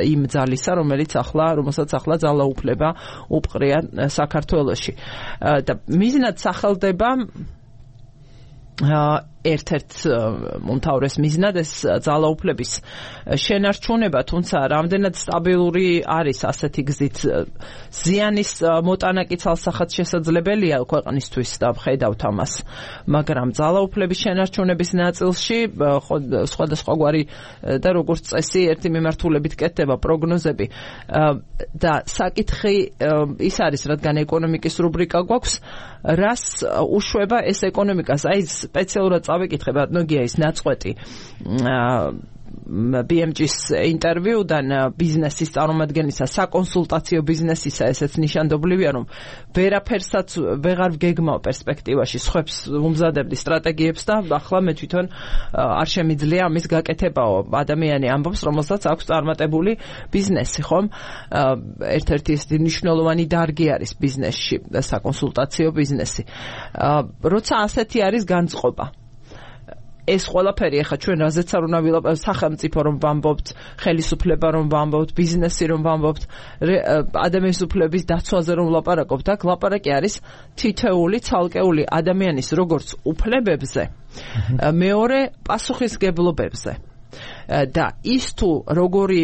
იმ ძალისა, რომელსაც ახლა ძალაუფლება უპყრია საქართველოში. და მიზნად სახელდება ერთ-ერთ უმთავრეს მიზნად ეს ძალაუფლების შენარჩუნება, თუმცა რამდენად სტაბილური არის ასეთი გზით ზიანის მოტანა კი ცალსახად შესაძლებელია ქვეყნისთვის და ვხედავთ ამას, მაგრამ ძალაუფლების შენარჩუნების ნაწილში სხვადასხვაგვარი და როგორც წესი ერთი მიმართულებით კეთდება პროგნოზები და საკითხი ის არის, რადგან ეკონომიკის რუბრიკა გვაქვს, რას უშვება ეს ეკონომიკას, აი სპეციალურად წავიკითხებ, ნოგია ის ნაწყვეტი BMG-ის ინტერვიუდან ბიზნესის წარმომადგენლისა, საკონსულტაციო ბიზნესისა, ესეც ნიშანდობლივია, რომ ვერაფერსაც ვეღარ ვგეგმავ პერსპექტივაში, სხვებს ვუმზადებდი სტრატეგიებს და ახლა მე თვითონ არ შემიძლია ამის გაკეთებაო. ადამიანი ამბობს, რომელსაც აქვს წარმატებული ბიზნესი, ხომ? ერთ-ერთი ეს მნიშვნელოვანი დარგი არის ბიზნესში, საკონსულტაციო ბიზნესი. როცა ასეთი არის განწყობა, ეს ყველაფერი ახლა ჩვენ რაზეც არ უნდა ვილაპარაკოთ, სახელმწიფო რომ ვამბობთ, ხელისუფლება რომ ვამბობთ, ბიზნესი რომ ვამბობთ, ადამიანის უფლების დაცვაზე რომ ვლაპარაკობთ, აქ ლაპარაკი არის თითოეული ცალკეული ადამიანის როგორც უფლებებზე, მეორე პასუხისგებლობებზე. და ის თუ როგორი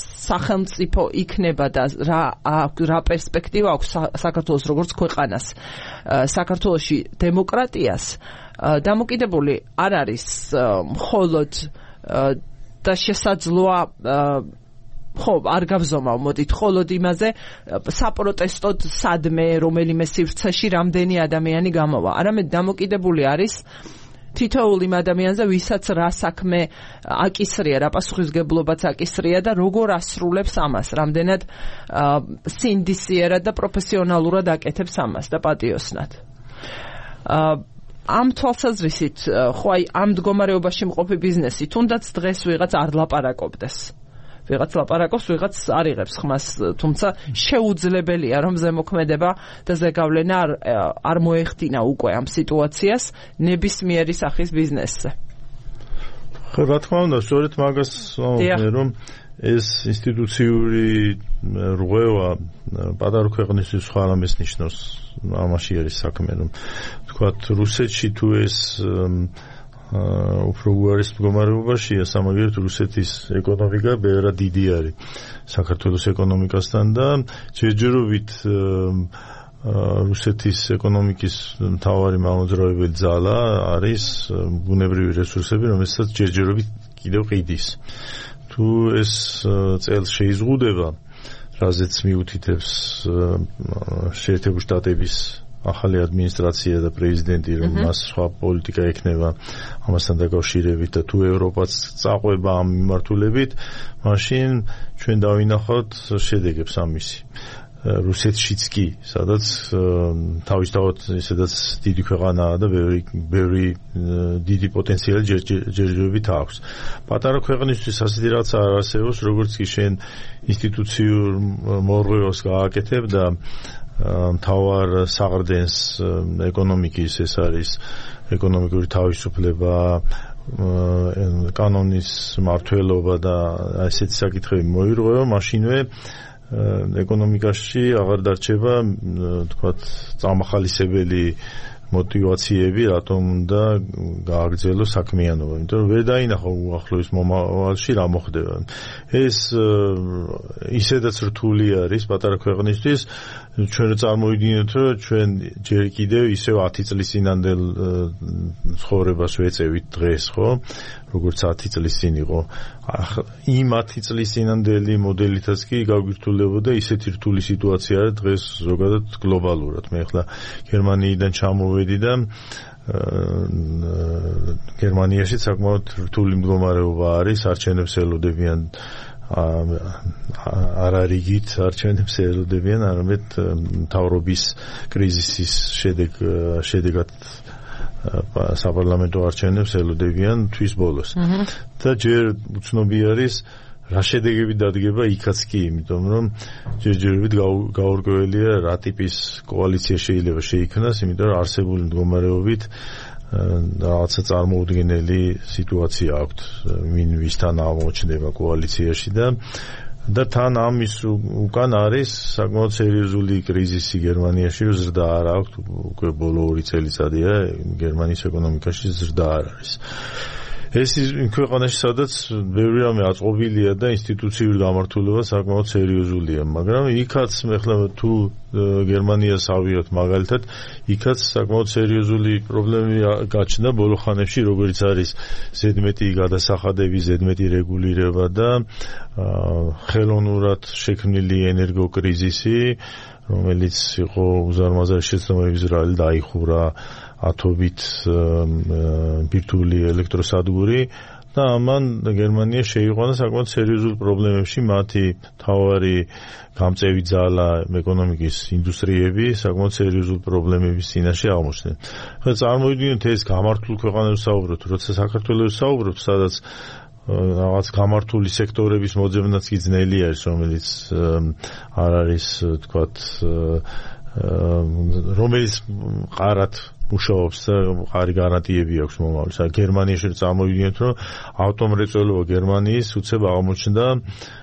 სახელმწიფო იქნება და რა პერსპექტივა აქვს საქართველოს როგორც ქვეყანას, საქართველოში დემოკრატიას დამოკიდებული არ არის მხოლოდ და შესაძლოა ხო არ გავზომავ მოდით მხოლოდ იმაზე საპროტესტოდ სადმე რომელიმე სივრცეში რამდენი ადამიანი გამოვა, არამედ დამოკიდებული არის თითოეულ იმ ადამიანზე, ვისაც რა საქმე აკისრია, რა პასუხისგებლობაც აკისრია და როგორ ასრულებს ამას, რამდენად სინდისიერად და პროფესიონალურად აკეთებს ამას და პატიოსნად. ამ თვალსაზრისით, ხო აი ამ მდგომარეობაში მყოფი ბიზნესი, თუნდაც დღეს ვიღაც არ ლაპარაკობდეს. ვიღაც ლაპარაკობს, ვიღაც არ იღებს ხმას, თუმცა შეუძლებელია რომ ზემოქმედება და ზეგავლენა არ მოეხდინა უკვე ამ სიტუაციას ნებისმიერი სახის ბიზნესზე. ხო, რა თქმა უნდა, სწორედ მაგას ვამბობ, რომ ეს ინსტიტუციური რღვევა პატარა ქვეყნისთვის სხვა რამეს ნიშნავს. ამაში არის საქმე, რომ თქვათ რუსეთში თუ ეს უფრო უარის მდგომარეობაშია, სამაგიეროდ რუსეთის ეკონომიკა ბევრად დიდი არის საქართველოს ეკონომიკასთან და ჯერჯერობით რუსეთის ეკონომიკის მთავარი მამოძრავებელი ძალა არის ბუნებრივი რესურსები, რომელსაც ჯერჯერობით კიდევ ყიდის. თუ ეს წელს შეიზღუდება, რაზეც მიუთითებს შეერთებული შტატების ახალი ადმინისტრაცია და პრეზიდენტი, რომ მას სხვა პოლიტიკა ექნება ამასთან დაკავშირებით და თუ ევროპაც წაყვება ამ მიმართულებით, მაშინ ჩვენ დავინახავთ შედეგებს ამისი. რუსეთშიც კი, სადაც თავისთავად ისედაც დიდი ქვეყანაა და ბევრი დიდი პოტენციალი ჯერჯერობით აქვს. პატარა ქვეყნისთვის ასეთი რაღაც არ არსებობს, როგორც კი შენ ინსტიტუციურ მორღვევას გააკეთებ და მთავარ საყრდენს ეკონომიკის, ეს არის ეკონომიკური თავისუფლება, კანონის მმართველობა და ესეთი საკითხები მოირღვევა, მაშინვე ეკონომიკაში აღარ დარჩება, თქვათ, წამახალისებელი მოტივაციები, რატომ უნდა გააგრძელოს საქმიანობა, იმიტომ რომ ვერ დაინახო უახლოეს მომავალში რა მოხდება. ეს ისედაც რთული არის პატარა ქვეყნისთვის, ჩვენ წარმოვიდგინოთ, რომ ჩვენ ჯერ კიდევ ისევ 10 წლის წინანდელ ცხოვრებას ვეწევით დღეს, ხო? როგორც 10 წლის წინ იყო. იმ 10 წლის წინანდელი მოდელითაც კი გაგვირთულებოდა ისეთი რთული სიტუაცია არის დღეს ზოგადად გლობალურად. მე ახლა გერმანიიდან ჩამოვედი და გერმანიაში საკმაოდ რთული მდგომარეობა არის, არჩევნებს ელოდებიან არარიგით არჩევნებს ელოდებიან, არამედ მთავრობის კრიზისის შედეგად საპარლამენტო არჩევნებს ელოდებიან თვის ბოლოს. და ჯერ უცნობი არის რა შედეგები დადგება იქაც კი, იმიტომ რომ ჯერჯერობით გაურკვეველია რა ტიპის კოალიცია შეიძლება შეიქმნას, იმიტომ რომ არსებული მდგომარეობით რაღაცა წარმოუდგენელი სიტუაცია აქვს, ვინ ვისთან აღმოჩნდება კოალიციაში და თან ამის უკან არის საკმაოდ სერიოზული კრიზისი გერმანიაში, ზრდა არ აქვს, უკვე ბოლო 2 წელიწადია გერმანიის ეკონომიკაში ზრდა არ არის. ეს იმ ქვეყანაში, სადაც ბევრი რამე აწყობილია და ინსტიტუციური გამართულება საკმაოდ სერიოზულია, მაგრამ იქაც ახლა თუ გერმანიას ავიღოთ მაგალითად, იქაც საკმაოდ სერიოზული პრობლემები გაჩნდა ბოლო ხანებში, როგორც არის ზედმეტი გადასახადები, ზედმეტი რეგულირება და ხელოვნურად შექმნილი ენერგოკრიზისი, რომელიც იყო უზარმაზარი შეცდომების ბრალი, დაიხურა ათობით ბირთვული ელექტროსადგური და ამან გერმანია შეიყვანა საკმაოდ სერიოზულ პრობლემებში, მათი მთავარი გამწევი ძალა ეკონომიკის ინდუსტრიები საკმაოდ სერიოზულ პრობლემების წინაშე აღმოჩნდნენ. ხა წარმოვიდგინოთ ეს გამართულ ქვეყანებს საუბრობთ, როცა საქართველოს საუბრობთ, სადაც რაღაც გამართული სექტორების მოძებნაც კი ძნელი არის, რომელიც არ არის, თქვათ, რომელიც ყარად მუშაობს და ყარი გარანტიები აქვს მომავალს. გერმანიაში წარმოვიდგინეთ, რომ ავტომრეწველობა გერმანიის უცებ აღმოჩნდა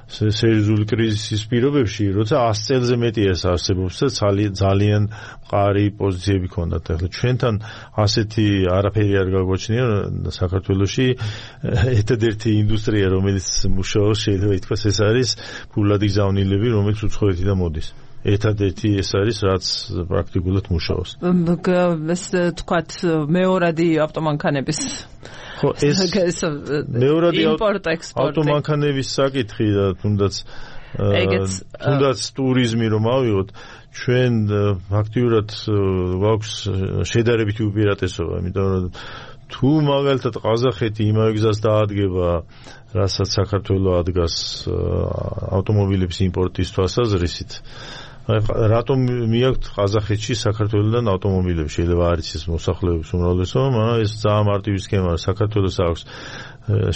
სერიოზული კრიზისის პირობებში, როცა 100 წელზე მეტი ეს არსებობს და ძალიან მყარი პოზიციები ჰქონდათ. ახლა ჩვენთან ასეთი არაფერი არ გაგვაჩნია საქართველოში. ერთადერთი ინდუსტრია, რომელიც მუშაობს, შეიძლება ითქვას, ეს არის ფულადი გზავნილები, რომელიც უცხოეთიდან მოდის. ერთადერთი ეს არის, რაც პრაქტიკულად მუშაობს. ეს თქვათ მეორადი ავტომანქანების ხო, ეს მეორადი ავტომანქანების საკითხი და თუნდაც ტურიზმი რომ ავიღოთ, ჩვენ ფაქტიურად გვაქვს შედარებითი უპირატესობა, იმიტომ რომ თუ მაგალითად ყაზახეთი იმავე გზას დაადგება, რასაც საქართველო ადგას ავტომობილების იმპორტის თვალსაზრისით, რატომ მიაქვთ ყაზახეთში საქართველოდან ავტომობილები? შეიძლება არის ეს მოსახლეობის უმრავლესობა, მაგრამ ეს ძალიან მარტივი სქემაა. საქართველოს აქვს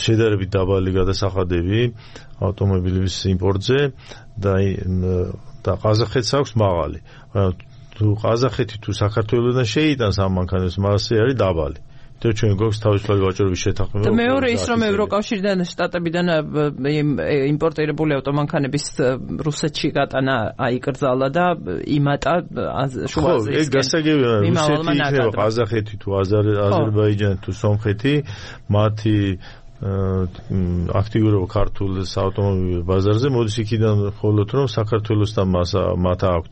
შედარებით დაბალი გადასახადები ავტომობილების იმპორტზე და ყაზახეთს აქვს მაღალი. თუ ყაზახეთი თუ საქართველოდან შეიტანს ამ მანქანებს, მასე არის დაბალი. და ჩვენ გვაქვს თავისუფლად ვაჭრობის შეთანხმება. და მეორე ის რომ ევროკავშირიდან შტატებიდან იმპორტირებული ავტომანქანების რუსეთში გატანა აიკრძალა და იმატა შუა აზიისკენ. ეს გასაგებია, რუსეთი იქნება ყაზახეთი თუ აზერბაიჯანი თუ სომხეთი, მათი აქტიურობა ქართულ ავტომობილ ბაზარზე მოდის იქიდან, ხოლოდ რომ საქართველოსთან მათ აქვთ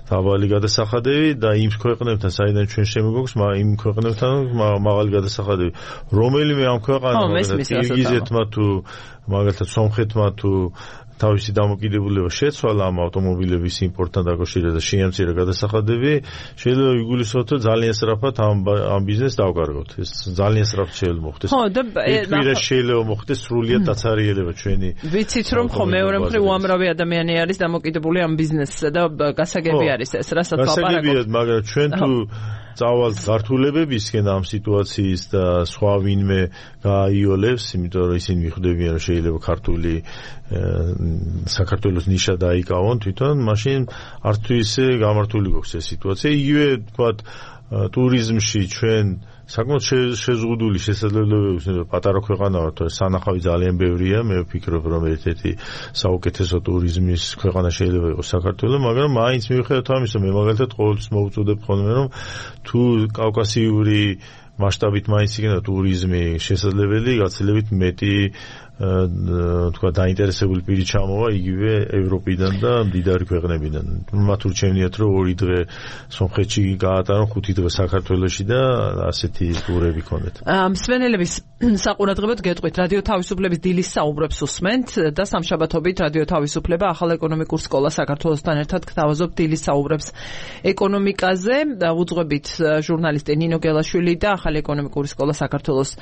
დაბალი გადასახადები და იმ ქვეყნებთან, საიდან ჩვენ შემოგვაქვს, იმ ქვეყნებთან მაღალი გადასახადები. რომელიმე ამ ქვეყანამ, კირგიზეთმა თუ მაგალითად სომხეთმა თუ თავისი დამოკიდებულება შეცვალა ამ ავტომობილების იმპორტთან დაკავშირებით და შეამცირა გადასახადები, შეიძლება იგულისხმოთ, რომ ძალიან სწრაფად ამ ბიზნესს დავკარგოთ. ეს ძალიან სწრაფად შეიძლება მოხდეს. ხო, და შეიძლება მოხდეს სრულიად დაცარიელება ჩვენი. ვიცით რომ ხო მეორე მხრივ უამრავი ადამიანი არის დამოკიდებული ამ ბიზნესზე და გასაგები არის ეს, რასაც ვაპარაკობთ. გასაგებია, მაგრამ ჩვენ თუ წავალთ გართულებებისკენ ამ სიტუაციის და სხვა ვინმე გააიოლებს, იმიტომ რომ ისინი მიხვდებიან, რომ შეიძლება ქართული საქართველოს ნიშა დაიკავონ თვითონ, მაშინ არც თუ ისე გამართული გვაქვს ეს სიტუაცია. იგივე თქვათ ტურიზმში ჩვენ საკმაოდ შეზღუდული შესაძლებლობები პატარა ქვეყანა ვართ, სანახავი ძალიან ბევრია, მე ვფიქრობ, რომ ერთ-ერთი საუკეთესო ტურიზმის ქვეყანა შეიძლება იყოს საქართველო, მაგრამ მაინც მიუხედავად ამისა, მე მაგალითად ყოველთვის მოვუწოდებ ხოლმე, რომ თუ კავკასიური მასშტაბით მაინც იქნება ტურიზმი შესაძლებელი, გაცილებით მეტი თქვა დაინტერესებული პირი ჩამოვა იგივე ევროპიდან და მდიდარი ქვეყნებიდან. მათ ურჩევნიათ, რომ 2 დღე სომხეთში გაატარონ, 5 დღე საქართველოში და ასეთი ტურები ქონდეთ. მსმენელების საყურადღებოდ გეტყვით, რადიო თავისუფლების დილის საუბრებს უსმენთ და სამშაბათობით რადიო თავისუფლება ახალ ეკონომიკურ სკოლას საქართველოსთან ერთად გთავაზობთ დილის საუბრებს ეკონომიკაზე. უძღვებით ჟურნალისტი ნინო გელაშვილი და ახალ ეკონომიკური სკოლა საქართველოს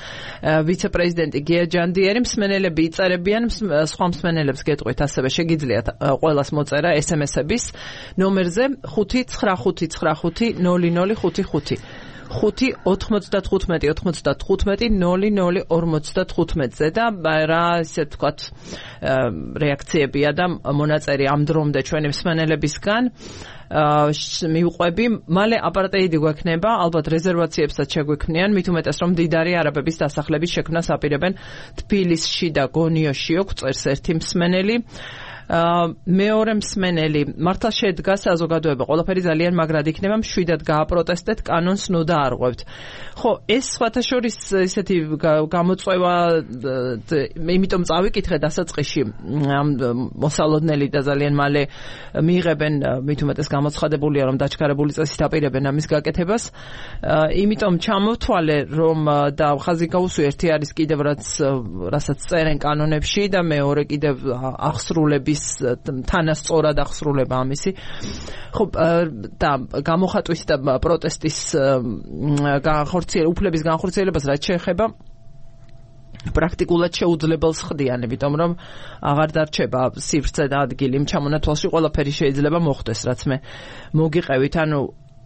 ვიცე-პრეზიდენტი გია ჯანდიერი. მსმენელები იწერებიან, სხვა მსმენელებს გეტყვით, ასევე შეგიძლიათ ყველას მოწერა SMS-ების ნომერზე 595990055 5-95-95-00-55-ზე და რა ისე თქვათ რეაქციებია და მონაწერი ამ დრომდე ჩვენი მსმენელებისგან მივყვები, მალე აპარტეიდი გვექნება, ალბათ რეზერვაციებსაც შეგვექმნიან, მით უმეტეს რომ მდიდარი არაბების დასახლების შექმნას აპირებენ თბილისში და გონიოში, წერს ერთი მსმენელი. მეორე მსმენელი, მართლა შედგა საზოგადოება, ყველაფერი ძალიან მაგრად იქნება, მშვიდად გააპროტესტეთ, კანონს ნუ დაარღვევთ. ხო, ეს სხვათა შორის ისეთი გამოწვევა, იმიტომ წავიკითხე დასაწყისში ამ მოსალოდნელი და ძალიან მალე მიიღებენ, მით უმეტეს გამოცხადებულია, რომ დაჩქარებული წესით აპირებენ ამის გაკეთებას. იმიტომ ჩამოვთვალე, რომ და ხაზი გაუსვი, ერთი არის კიდევ რასაც წერენ კანონებში და მეორე კიდევ ახსრულების თანასწორად ახსრულება ამისი. ხო, და გამოხატვის და პროტესტის უფლების განხორციელებას რაც შეეხება პრაქტიკულად შეუძლებელს ხდიან, იმიტომ რომ აღარ დარჩება სივრცე და ადგილი ჩამონათვალში, ყველაფერი შეიძლება მოხდეს, რაც მე მოგიყევით, ანუ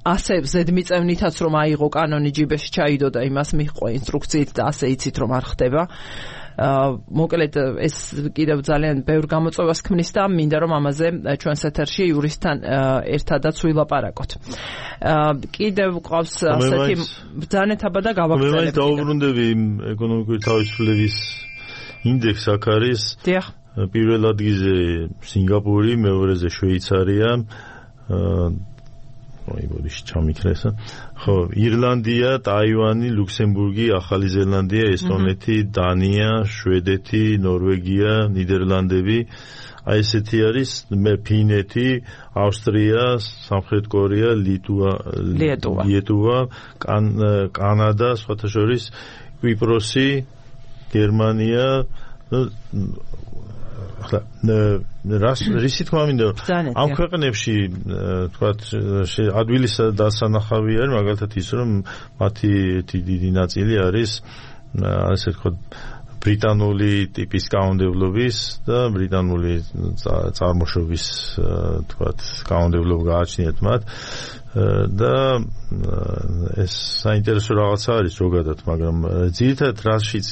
ასე ზედმიწევნითაც რომ აიღო კანონი ჯიბეში ჩაიდო და იმას მიჰყვა ინსტრუქციით და ასე იცით რომ არ ხდება. მოკლედ ეს კიდევ ძალიან ბევრ გამოწვევას ქმნის და მინდა რომ ამაზე ჩვენს ეთერში იურისტთან ერთადაც ვილაპარაკოთ. კიდევ ყავს ასეთი ბრძანეთაბა და გავაგრძელებ. მე მაინც დაუბრუნდები ეკონომიკური თავისუფლების ინდექსს აქ არის. დიახ. პირველ ადგილზე სინგაპური, მეორეზე შვეიცარია. ჩამიქრესა. ხო, ირლანდია, ტაივანი, ლუქსემბურგი, ახალი ზელანდია, ესტონეთი, დანია, შვედეთი, ნორვეგია, ნიდერლანდები. აი ესეთი არის ფინეთი, ავსტრია, სამხრეთ კორეა, ლიეტუვა, კანადა, სხვათა შორის კვიპროსი, გერმანია, რისი თქმა მინდა ამ ქვეყნებში თქვათ ადვილის დასანახავი არის მაგალითად ის რომ მათი დიდი ნაწილი არის ასე ვთქვათ ბრიტანული ტიპის კანონმდებლობის და ბრიტანული წარმოშობის თქვათ კანონმდებლობა გააჩნიათ მათ და ეს საინტერესო რაღაცა არის ზოგადად მაგრამ ძირითადად რაშიც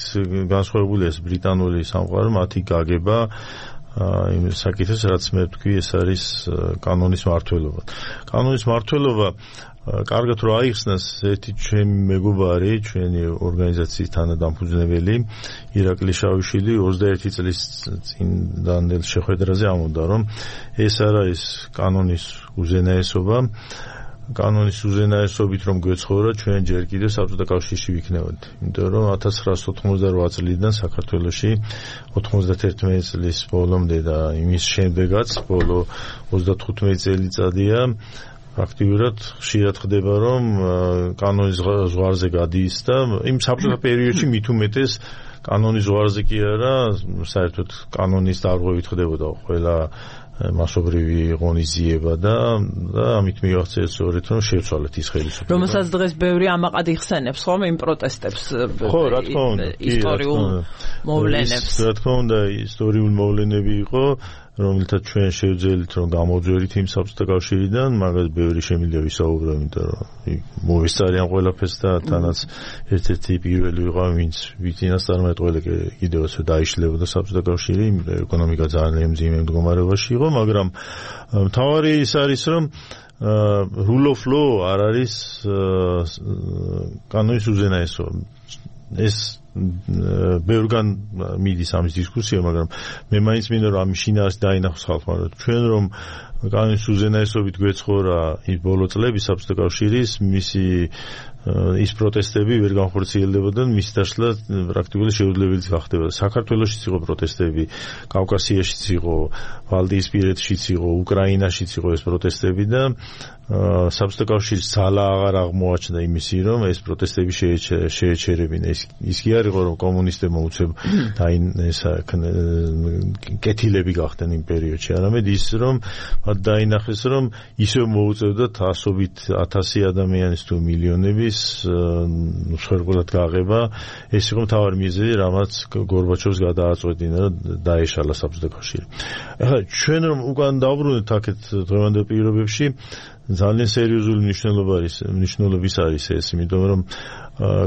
განსხვავებულია ეს ბრიტანული სამყარო მათი გაგება იმ საკითხს რაც მე ვთქვი ეს არის კანონის მმართველობა. კანონის მმართველობა კარგად რომ აიხსნას ერთი ჩემი მეგობარი, ჩვენი ორგანიზაციის თანადამფუძნებელი ირაკლი შავიშვილი 21 წლის წინდელ შეხვედრაზე ამბობდა რომ ეს არ არის კანონის უზენაესობა კანონის უზენაესობით რომ გვეცხოვრა ჩვენ ჯერ კიდევ საბჭოთა კავშირში ვიქნებოდით. იმიტომ რომ 1988 წლიდან საქართველოში 91 წლის ბოლომდე და იმის შემდეგაც ბოლო 35 წელიწადია აქტიურად ხშირად ხდება რომ კანონის ზღვარზე გადადის და იმ საბჭოთა პერიოდში მით უმეტეს კანონის ზღვარზე კი არა საერთოდ კანონის დარღვევით ხდებოდა ყველა მასობრივი ღონისძიება და ამით მივახცეთ სწორედ რომ შევცვალეთ ის ხელისუფლება. რომელსაც დღეს ბევრი ამაყად იხსენებს ხომ იმ პროტესტებს. ხო, რა თქმა უნდა, ისტორიულ მოვლენებს. რა თქმა უნდა, ისტორიული მოვლენები იყო, რომელთაც ჩვენ შევძელით რომ გამოვძვერით იმ საბჭოთა კავშირიდან, მაგას ბევრი შემიძლია ვისაუბრო, იმიტომ რომ მოვისწარიან ყველაფერს და თანაც ერთ-ერთი პირველი ვიყავ, ვინც ვიწინასწარმეტყველი კიდევაც დაიშლებოდა საბჭოთა კავშირი, ეკონომიკა ძალიან მძიმე მდგომარეობაში იყო, მაგრამ მთავარი ის არის რომ rule of law არ არის კანონის უზენაესობა. ეს ბევრგან მიდის ამის დისკუსია, მაგრამ მე მაინც მინდა რომ ამის შინაარსი დაინახოს ხალხმა, რომ ჩვენ რომ კანონის უზენაესობით გვეცხოვრა ის ბოლო წლები საბჭოთა კავშირის მისი ის პროტესტები ვერ განხორციელდებოდა, მის დაშლა პრაქტიკულად შეუძლებელიც გახდებოდა. საქართველოშიც იყო პროტესტები, კავკასიაშიც იყო, ვალდიისპირეთშიც იყო, უკრაინაშიც იყო ეს პროტესტები და საბჭოთა კავშირის ძალა აღარ აღმოაჩნდა იმისი, რომ ეს პროტესტები შეეჩერებინა. ის კი არ იყო, რომ კომუნისტებმა უცებ კეთილები გახდნენ იმ პერიოდში, არამედ ის, რომ დაინახეს, რომ ისევ მოუწევდათ ასობით 1000 ადამიანის თუ მილიონების მსხვერპლად გაღება. ეს იყო მთავარი მიზეზი, რამაც გორბაჩოვს გადააწყვეტინა და დაეშალა საბჭოთა კავშირი. ახლა ჩვენ რომ უკან დავბრუნდეთ აქეთ დღევანდელ პირობებში ძალიან სერიოზული მნიშვნელობის არის ეს, იმიტომ რომ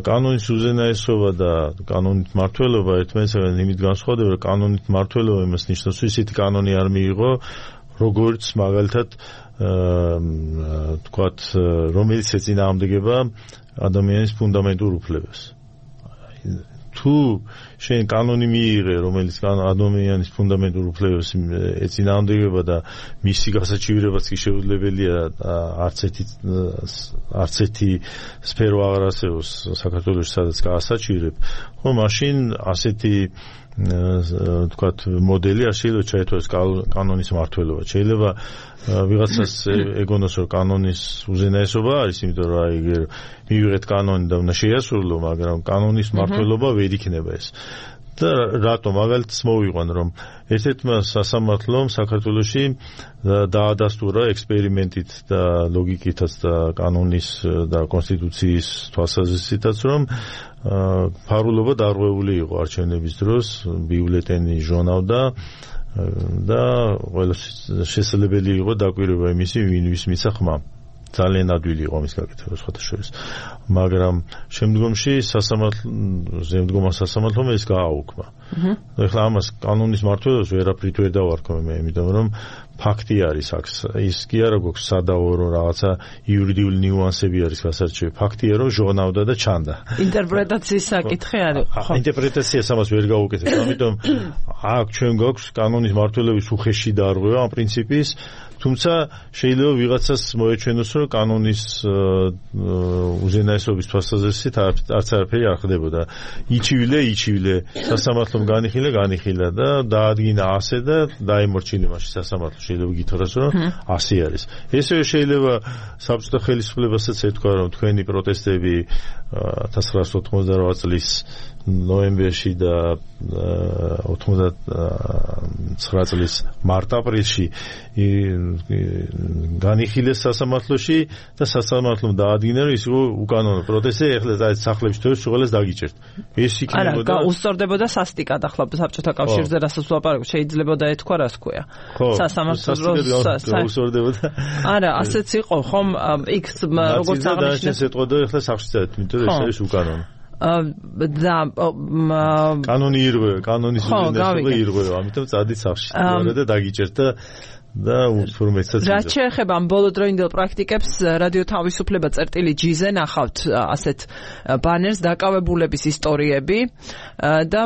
კანონის უზენაესობა და კანონით მმართველობა ერთმანეთისგან იმით განსხვავდება, რომ კანონით მმართველობა იმას ნიშნავს, რომ ისეთი კანონი არ მიიღო, როგორც მაგალითად თქვათ, რომელიც ეწინააღმდეგება ადამიანის ფუნდამენტურ უფლებას. თუ შენ კანონი მიიღე, რომელიც ადამიანის ფუნდამენტურ უფლებებს ეწინააღმდეგება და მისი გასაჩივრებაც კი შეუძლებელია არც ერთი სფერო აღარ არსებობს საქართველოში, სადაც გაასაჩივრებ, ხო, მაშინ ასეთი თქვათ მოდელი არ შეიძლება ჩაითვალოს კანონის მმართველობა. შეიძლება ვიღაცას ეგონოს რომ კანონის უზენაესობა არის, იმიტომ რომ აი მივიღეთ კანონი და უნდა შეასრულო, მაგრამ კანონის მმართველობა ვერ იქნება ეს. და რატომ მაგალითს მოვიყვან რომ ერთ-ერთმა სასამართლომ საქართველოში დაადასტურა ექსპერიმენტით და ლოგიკითაც და კანონის და კონსტიტუციის თვალსაზრისითაც რომ ფარულობა დარღვეული იყო არჩევნების დროს, ბიულეტენი ჟონავდა და ყველა შესაძლებელი იყო დაკვირვება იმისი, ვინ ვის მიცა ხმა. ძალიან ადვილი იყო მის გაკეთება სხვათაშორის. მაგრამ შემდგომში შემდგომა სასამართლომ ეს გააუქმა. ეხლა ამას კანონის მმართველობას ვერაფრით ვერ დავარქვი მე, იმიტომ რომ ფაქტი არის აქ. ის კი არა გვაქვს სადაო რომ რაღაცა იურიდიული ნიუანსები არის გასარჩევი. ფაქტია რომ ჟღნავდა და ჩანდა. ინტერპრეტაციის საკითხი არის. ინტერპრეტაციას ამას ვერ გავუკეთებ. ამიტომ აქ ჩვენ გვაქვს კანონის მმართველობის უხეში დარღვევა ამ პრინციპის, თუმცა შეიძლება ვიღაცას მოეჩვენოს რომ კანონის უზენაესობის თვალსაზრისით არც არაფერი არ ხდებოდა. იჩივლე სასამართლომ განიხილა და დაადგინა ასე და დაემორჩილა მაშინ სასამართლო. შეიძლება გითხრას რომ ასე არის. ესე შეიძლება საბჭოთა ხელისუფლებასაც ეთქვა რომ თქვენი პროტესტები 1988 წლის ნოემბერში და 99 წლის მარტ-აპრილში განიხილეს სასამართლოში და სასამართლომ დაადგინა რომ ის იყო უკანონო პროტესტი, ეხლა და სახლებში თორეს შეყოლეს დაგიჭერთ. ეს იქნებოდა არა, უსწორდებოდა სასტიკად ახლა საბჭოთა კავშირზე რასაც ვლაპარაკობ, შეიძლება ეთქვა რა თქვია. სასამართლოს უსწორდებოდა. არა, ასეც იყო, ხომ იქ როგორც აღნიშნეს ეთყოდა ეხლა სახლში წავით, იმიტომ რომ ეს არის უკანონო. და კანონის უზენაესობა ირღვევა, ამიტომ წადით სახლში და დაგიჭერთ და უსურმეცად. რაც შეეხება ამ ბოლოდროინდელ პრაქტიკებს, რადიო თავისუფლება წერტილი-G-ზე ნახავთ ასეთ ბანერს დაკავებულების ისტორიები და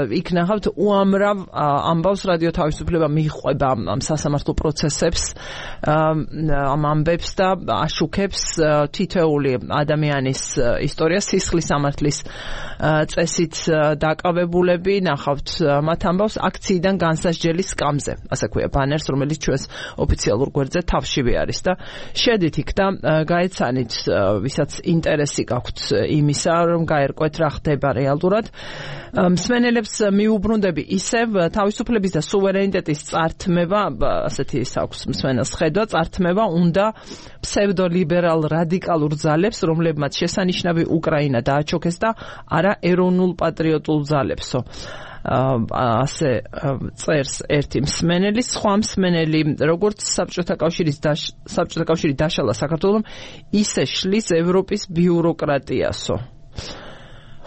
იქ ნახავთ უამრავ ამბავს რადიო თავისუფლება მიჰყვება ამ სასამართლო პროცესებს, ამ ამბებს და აშუქებს თითოეული ადამიანის ისტორია, სისხლის სამართლის წესით დაკავებულები, ნახავთ მათ ამბავს აქციიდან განსასჯელის სკამზე, ასე ქვია ბანერს, რომელიც ჩვენ ოფიციალურ გვერდზე თავშივე არის და შედით იქ და გაეცანით ვისაც ინტერესი გაქვთ იმისა რომ გაერკვეთ რა ხდება რეალურად. მსმენელებს მიუბრუნდები ისევ თავისუფლების და სუვერენიტეტის წართმევა, ასეთი ის აქვს მსმენელს ხედვა, წართმევა უნდა ფსევდოლიბერალ რადიკალურ ძალებს, რომლებმაც შესანიშნავი უკრაინა დააჩოქეს და არა ეროვნულ პატრიოტულ ძალებსო. ასე წერს ერთი მსმენელი, სხვა მსმენელი, როგორც საბჭოთა კავშირი დაშალა საქართველომ, ისე შლის ევროპის ბიუროკრატიასო.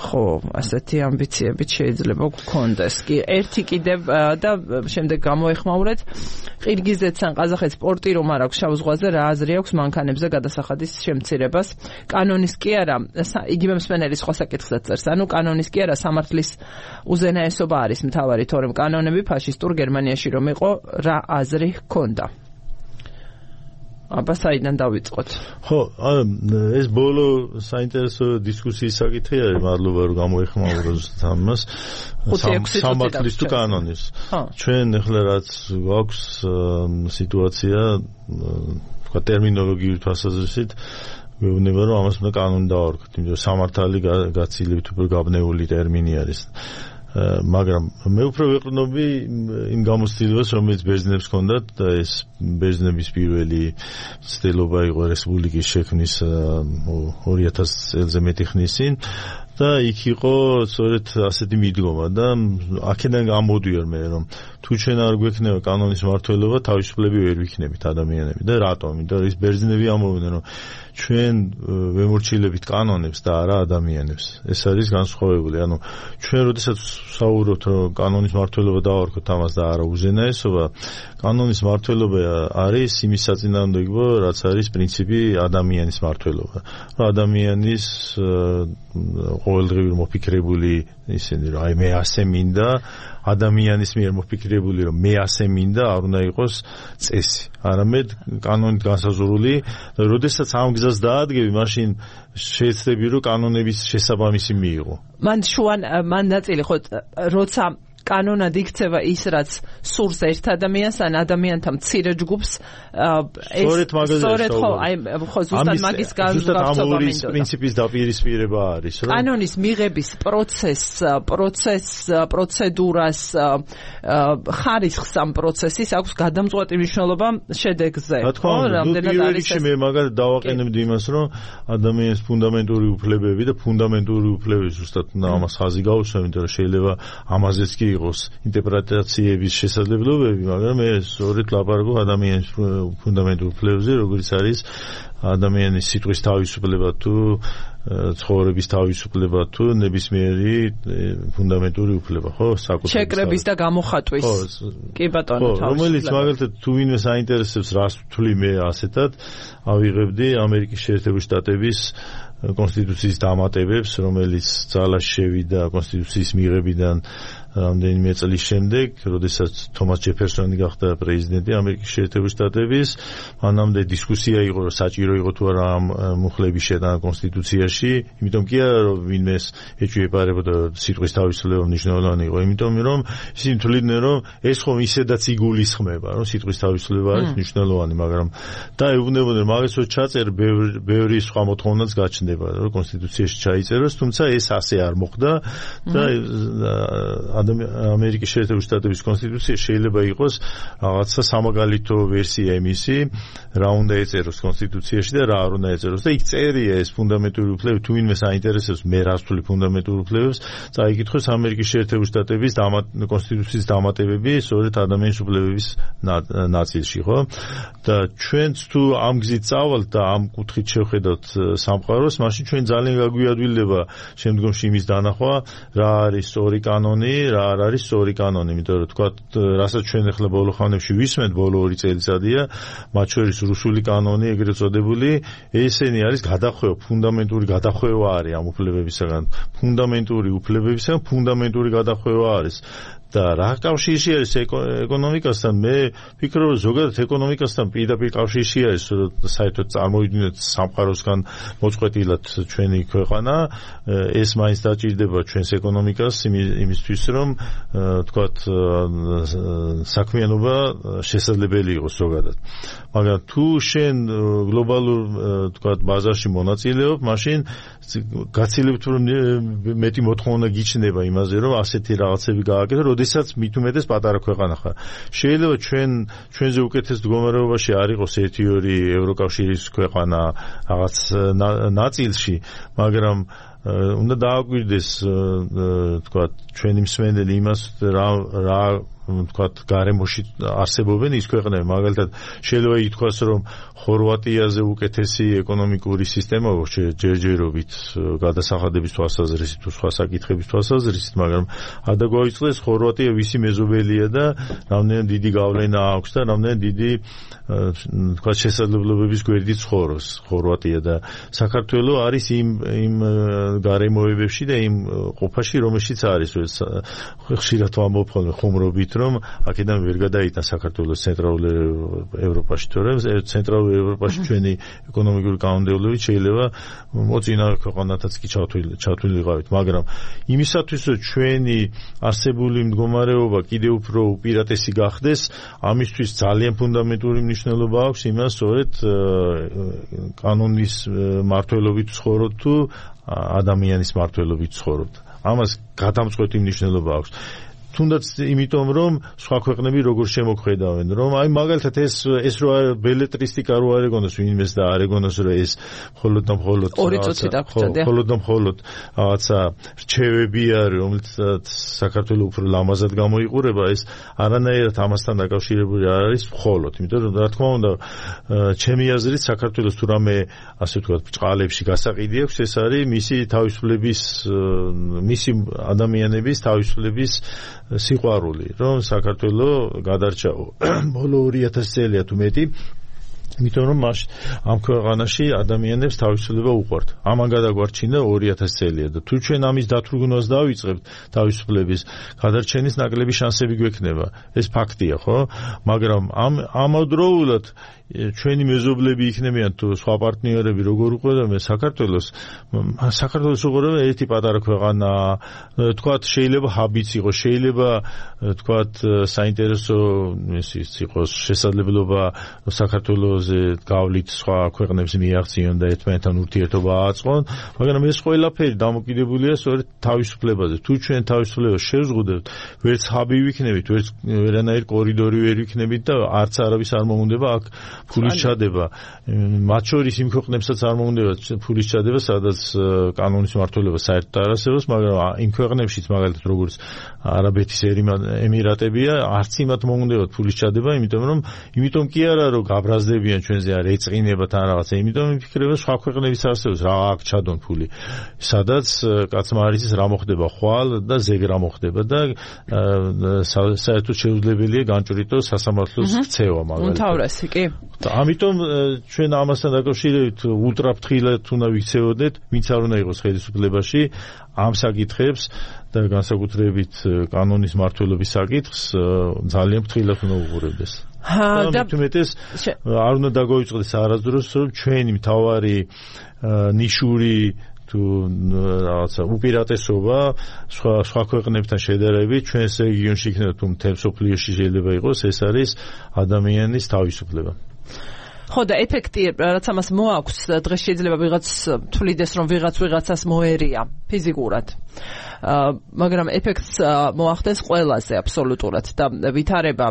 ხო, ასეთი ამბიციები შეიძლება გქონდეს. კი, ერთი კიდევ და შემდეგ გამოეხმაურეთ. ყირგიზეთს ან ყაზახეთს პორტი რომ არ აქვს შავ ზღვაზე, რა აზრი აქვს მანქანებზე გადასახადის შემცირებას? კანონის კი არა, იგივე მსმენელი სხვა საკითხსაც წერს. ანუ კანონის კი არა, სამართლის უზენაესობა არის მთავარი, თორემ კანონები ფაშისტურ გერმანიაში რომ იყო, რა აზრი ჰქონდა? აბა საიდან დავიწყოთ? ხო, ეს ბოლო საინტერესო დისკუსიის საკითხი არის, მადლობა რომ გამოეხმაუროთ ამას. სამართლის თუ კანონის. ჩვენ ახლა რაც გვაქვს სიტუაცია, თქვა ტერმინოლოგიური თვალსაზრისით, მეუბნება რომ ამას უნდა კანონი დავარქვით, იმიტომ რომ სამართალი გაცილებით უფრო გაბნეული ტერმინი არის. მაგრამ მე უფრო ვეყრდნობი იმ გამოცდილებას, რომელიც ბერძნებს ჰქონდათ და ეს ბერძნების პირველი ცდილობა იყო რესპუბლიკის შექმნის 2000 წელზე მეტი ხნის წინ და იქ იყო სწორედ ასეთი მიდგომა და აქედან გამოდიარ მე რომ თუ ჩვენ არ გვექნება კანონის მმართველობა, თავისუფლები ვერ ვიქნებით ადამიანები და რატომ? იმიტომ რომ ის ბერძნები ამბობდნენ რომ ჩვენ ვემორჩილებით კანონებს და არა ადამიანებს. ეს არის განსხვავებული. ანუ ჩვენ როდესაც საუბრობთ რომ კანონის მმართველობა დავარქვით ამას და არა უზენაესობა, კანონის მმართველობა არის იმის საწინააღმდეგო, რაც არის პრინციპი ადამიანის მმართველობა. ადამიანის ყოველდღიური მოფიქრებული ისინი რომ აი მე ასე მინდა, ადამიანის მიერ მოფიქრებული რომ მე ასე მინდა, არ უნდა იყოს წესი. არამედ კანონით განსაზღვრული, და როდესაც ამ გზას დაადგები, მაშინ შეეცდები რომ კანონების შესაბამისი მიიღო. მან ნაწილი ხო როცა კანონად იქცევა ის, რაც სურს ერთ ადამიანს ან ადამიანთა მცირე ჯგუფს, სწორედ ხო, აი ხო ზუსტად მაგის განსაზღვრება მინდოდა. პრინციპის დაპირისპირება არის, რომ კანონის მიღების პროცედურას, ხარისხს ამ პროცესის აქვს გადამწყვეტი მნიშვნელობა შედეგზე. ხო, რამდენად არის ეს? მე მაგალითად დავაყენებდი იმას, რომ ადამიანის ფუნდამენტური უფლებები და ფუნდამენტური უფლებები ზუსტად ამას ხაზი გაუსვა, იმიტომ რომ შეიძლება ამაზეც კი იყოს ინტერპრეტაციების შესაძლებლობები, მაგრამ მე სწორედ ლაპარაკობ ადამიანის ფუნდამენტურ უფლებებზე, როგორც არის ადამიანის სიტყვის თავისუფლება თუ ცხოვრების თავისუფლება თუ ნებისმიერი ფუნდამენტური უფლება, ხო? შეკრების და გამოხატვის. კი ბატონო, რომელიც მაგალითად თუ ვინმე საინტერესებს რას ვთვლი მე ასეთად, ავიღებდი ამერიკის შეერთებული შტატების კონსტიტუციის დამატებებს, რომელიც ძალაში შევიდა კონსტიტუციის მიღებიდან რამდენიმე წლის შემდეგ, როდესაც თომას ჯეფერსონი გახდა პრეზიდენტი ამერიკის შეერთებული შტატების, მანამდე დისკუსია იყო, რომ საჭირო იყო თუ არა ამ მუხლების შეტანა კონსტიტუციაში, იმიტომ კი არა, რომ ვინმეს ეჭვიებარებოდა სიტყვის თავისუფლება მნიშვნელოვანი იყო, იმიტომ რომ ისინი თვლიდნენ, რომ ეს ხომ ისედაც იგულისხმება, რომ სიტყვის თავისუფლება არის მნიშვნელოვანი, მაგრამ და ეუბნებოდნენ, მაგას რო ჩაწერ, ბევრი სხვა მოთხოვნაც გაჩნდება, რომ კონსტიტუციაში ჩაიწეროს, თუმცა ეს ასე არ მოხდა და ამერიკის შეერთებული შტატების კონსტიტუცია შეიძლება იყოს რაღაცა სამაგალითო ვერსია იმისი, რა უნდა ეწეროს კონსტიტუციაში და რა არ უნდა ეწეროს და იქ წერია ეს ფუნდამენტური უფლებები, თუ ვინმე საინტერესებს მე რას ვთვლი ფუნდამენტურ უფლებებს, წაიკითხოს ამერიკის შეერთებული შტატების კონსტიტუციის დამატებები სწორედ ადამიანის უფლებების ნაწილში, ხო? და ჩვენც თუ ამ გზით წავალთ და ამ კუთხით შევხედავთ სამყაროს, მაშინ ჩვენ ძალიან გაგვიადვილდება შემდგომში იმის დანახვა, რა არის სწორი კანონი, რა არ არის სწორი კანონი, იმიტომ რომ თქვა, რასაც ჩვენ ახლა ბოლო ხანებში ვისმენთ, ბოლო 2 წელიწადია, მათ შორის რუსული კანონი, ეგრეთ წოდებული, ესენი არის გადახვევა, ფუნდამენტური გადახვევა არის ამ უფლებებისაგან, ფუნდამენტური გადახვევა არის. და რა კავშირში არის ეკონომიკასთან? მე ვფიქრობ, რომ ზოგადად ეკონომიკასთან პირდაპირ კავშირში არის, საერთოდ წარმოვიდგინოთ სამყაროსგან მოწყვეტილად ჩვენი ქვეყანა, ეს მაინც დაჭირდება ჩვენს ეკონომიკას იმისთვის, რომ თქვათ საქმიანობა შესაძლებელი იყოს ზოგადად. მაგრამ თუ შენ გლობალურ თქვათ ბაზარში მონაწილეობ, მაშინ გაცილებთ, რომ მეტი მოთხოვნა გიჩნდება იმაზე, რომ ასეთი რაღაცები გააკეთო, როდესაც მით უმეტეს პატარა ქვეყანა ხარ. შეიძლება ჩვენზე უკეთეს მდგომარეობაში არ იყოს 1-2 ევროკავშირის ქვეყანა რაღაც ნაწილში, მაგრამ უნდა დააკვირდეს თქვა ჩვენი მსმენელი იმას რა თქვათ გარემოში არსებობენ ის ქვეყნები, მაგალითად შეიძლება ითქვას, რომ ხორვატიაზე უკეთესი ეკონომიკური სისტემა აქვს ჯერჯერობით გადასახადების თვალსაზრისით თუ სხვა საკითხების თვალსაზრისით, მაგრამ ადა გვაიწყდეს ხორვატია ვისი მეზობელია და რამდენად დიდი გავლენა აქვს და რამდენად დიდი თქვათ შესაძლებლობების გვერდით ცხოვრობს ხორვატია და საქართველო არის იმ გარემოებებში და იმ ყოფაში, რომელშიც არის ხშირად ვამბობ ხოლმე ხუმრობით, რომ აქედან ვერ გადაიტან საქართველოს ცენტრალურ ევროპაში, თორემ ცენტრალურ ევროპაში ჩვენი ეკონომიკური კანონმდებლობით შეიძლება მოწინავე ქვეყანათაც კი ჩათვლილიყავით, მაგრამ იმისათვის, რომ ჩვენი არსებული მდგომარეობა კიდევ უფრო უპირატესი გახდეს, ამისთვის ძალიან ფუნდამენტური მნიშვნელობა აქვს იმას, სწორედ კანონის მმართველობით ცხოვრობ თუ ადამიანის მმართველობით ცხოვრობ. ამას გადამწყვეტი მნიშვნელობა აქვს. თუნდაც იმიტომ, რომ სხვა ქვეყნები როგორ შემოქმედავენ, რომ აი მაგალითად ეს რო ბელეტრისტიკა რო არ ეგონოს ვინმეს და არ ეგონოს, რომ ეს მხოლოდ და მხოლოდ რაღაცა რჩევები არის, რომელსაც საქართველოს უფრო ლამაზად გამოიყურება, ეს არანაირად ამასთან დაკავშირებული არ არის მხოლოდ, იმიტომ რომ რა თქმა უნდა, ჩემი აზრით საქართველოს თუ რამე ასე ვთქვათ ბჭყალებში გასაყიდი აქვს, ეს არის მისი თავისუფლების, მისი ადამიანების თავისუფლების სიყვარული, რომ საქართველო გადარჩა ბოლო 2000 წელია თუ მეტი, იმიტომ რომ ამ ქვეყანაში ადამიანებს თავისუფლება უყვართ. ამან გადაგვარჩინა 2000 წელია და თუ ჩვენ ამის დათრგუნვას დავიწყებთ თავისუფლების გადარჩენის ნაკლები შანსები გვექნება. ეს ფაქტია, ხო? მაგრამ ამავდროულად ჩვენი მეზობლები იქნებიან თუ სხვა პარტნიორები როგორ უყურებენ საქართველოს უყურებენ ერთი პატარა ქვეყანა, თქვათ შეიძლება ჰაბიც იყოს, შეიძლება თქვათ საინტერესო ის იყოს შესაძლებლობა საქართველოს თემაზე გავლით სხვა ქვეყნებს მიაღწიონ და ერთმანეთთან ურთიერთობა აწყონ, მაგრამ ეს ყველაფერი დამოკიდებულია სწორედ თავისუფლებაზე. თუ ჩვენ თავისუფლებას შევზღუდებთ, ვერც ჰაბი ვიქნებით, ვერც ვერანაირი კორიდორი ვერ ვიქნებით და არც არავის არ მოუნდება აქ ფულის ჩადება. მათ შორის იმ ქვეყნებსაც არ მოუნდება ფულის ჩადება, სადაც კანონის მმართველობა საერთოდ არ არსებობს, მაგრამ იმ ქვეყნებშიც მაგალითად როგორც არაბეთის ემირატებია, არც იმათ მოუნდებათ ფულის ჩადება, იმიტომ კი არა რომ გაბრაზდებიან ჩვენზე არ ეწყინებათ ან რაღაცა, იმიტომ მიფიქრება სხვა ქვეყნებიც არსებობს რა აქ ჩადონ ფული. სადაც კაცმა არ იცის რა მოხდება ხვალ და ზეგ რა მოხდება და საერთოდ შეუძლებელია განჭვრიტოს სასამართლოს ქცევა მაგალითად. უმთავრესი კი. ამიტომ ჩვენ ამასთან დაკავშირებით ულტრაფრთხილად უნდა ვიქცეოდეთ, ვინც არ უნდა იყოს ხელისუფლებაში ამ საკითხებს და განსაკუთრებით კანონის მმართველობის საკითხს ძალიან ფრთხილად უნდა უყურებდეს. და თუმეტეს არ უნდა დაგვიწყდეს არასდროს რომ ჩვენი მთავარი ნიშური თუ რაღაცა უპირატესობა სხვა ქვეყნებთან შედარებით ჩვენს რეგიონში იქნება თუ მთელ მსოფლიოში შეიძლება იყოს, ეს არის ადამიანის თავისუფლება. ხო და ეფექტი რაც ამას მოაქვს, დღეს შეიძლება ვიღაც თვლიდეს რომ ვიღაცას მოერია ფიზიკურად. მაგრამ ეფექტს მოახდენს ყველაზე აბსოლუტურად და ვითარება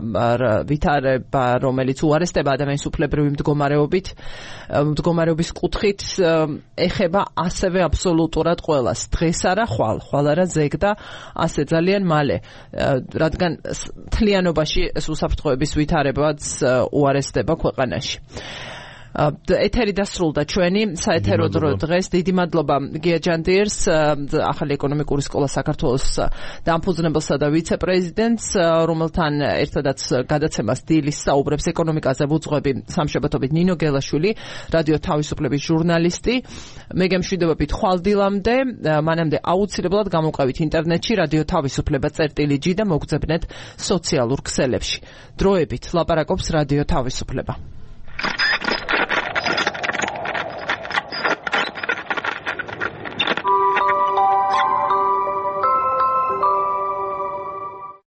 რომელიც უარესდება ადამიანის უფლებრივი მდგომარეობის კუთხით ეხება ასევე აბსოლუტურად ყველას. დღეს არა ხვალ არა ზეგ და ასე ძალიან მალე, რადგან თლიანობაში ეს უსაფრთხოების ვითარებაც უარესდება ქვეყანაში. ეთერი დასრულდა ჩვენი საეთერო დრო დღეს. დიდი მადლობა გია ჯანდიერს, ახალი ეკონომიკური სკოლა საქართველოს დამფუძნებელსა და ვიცე-პრეზიდენტს, რომელთან ერთადაც გადაცემას დილის საუბრებს ეკონომიკაზე ვუძღვები სამშაბათობით ნინო გელაშვილი, რადიო თავისუფლების ჟურნალისტი. მე გემშვიდობებით ხვალ დილამდე, მანამდე აუცილებლად გამოვყევით ინტერნეტში რადიო თავისუფლება.gi და მოგძებნეთ სოციალურ ქსელებში. დროებით ლაპარაკობს რადიო თავისუფლება.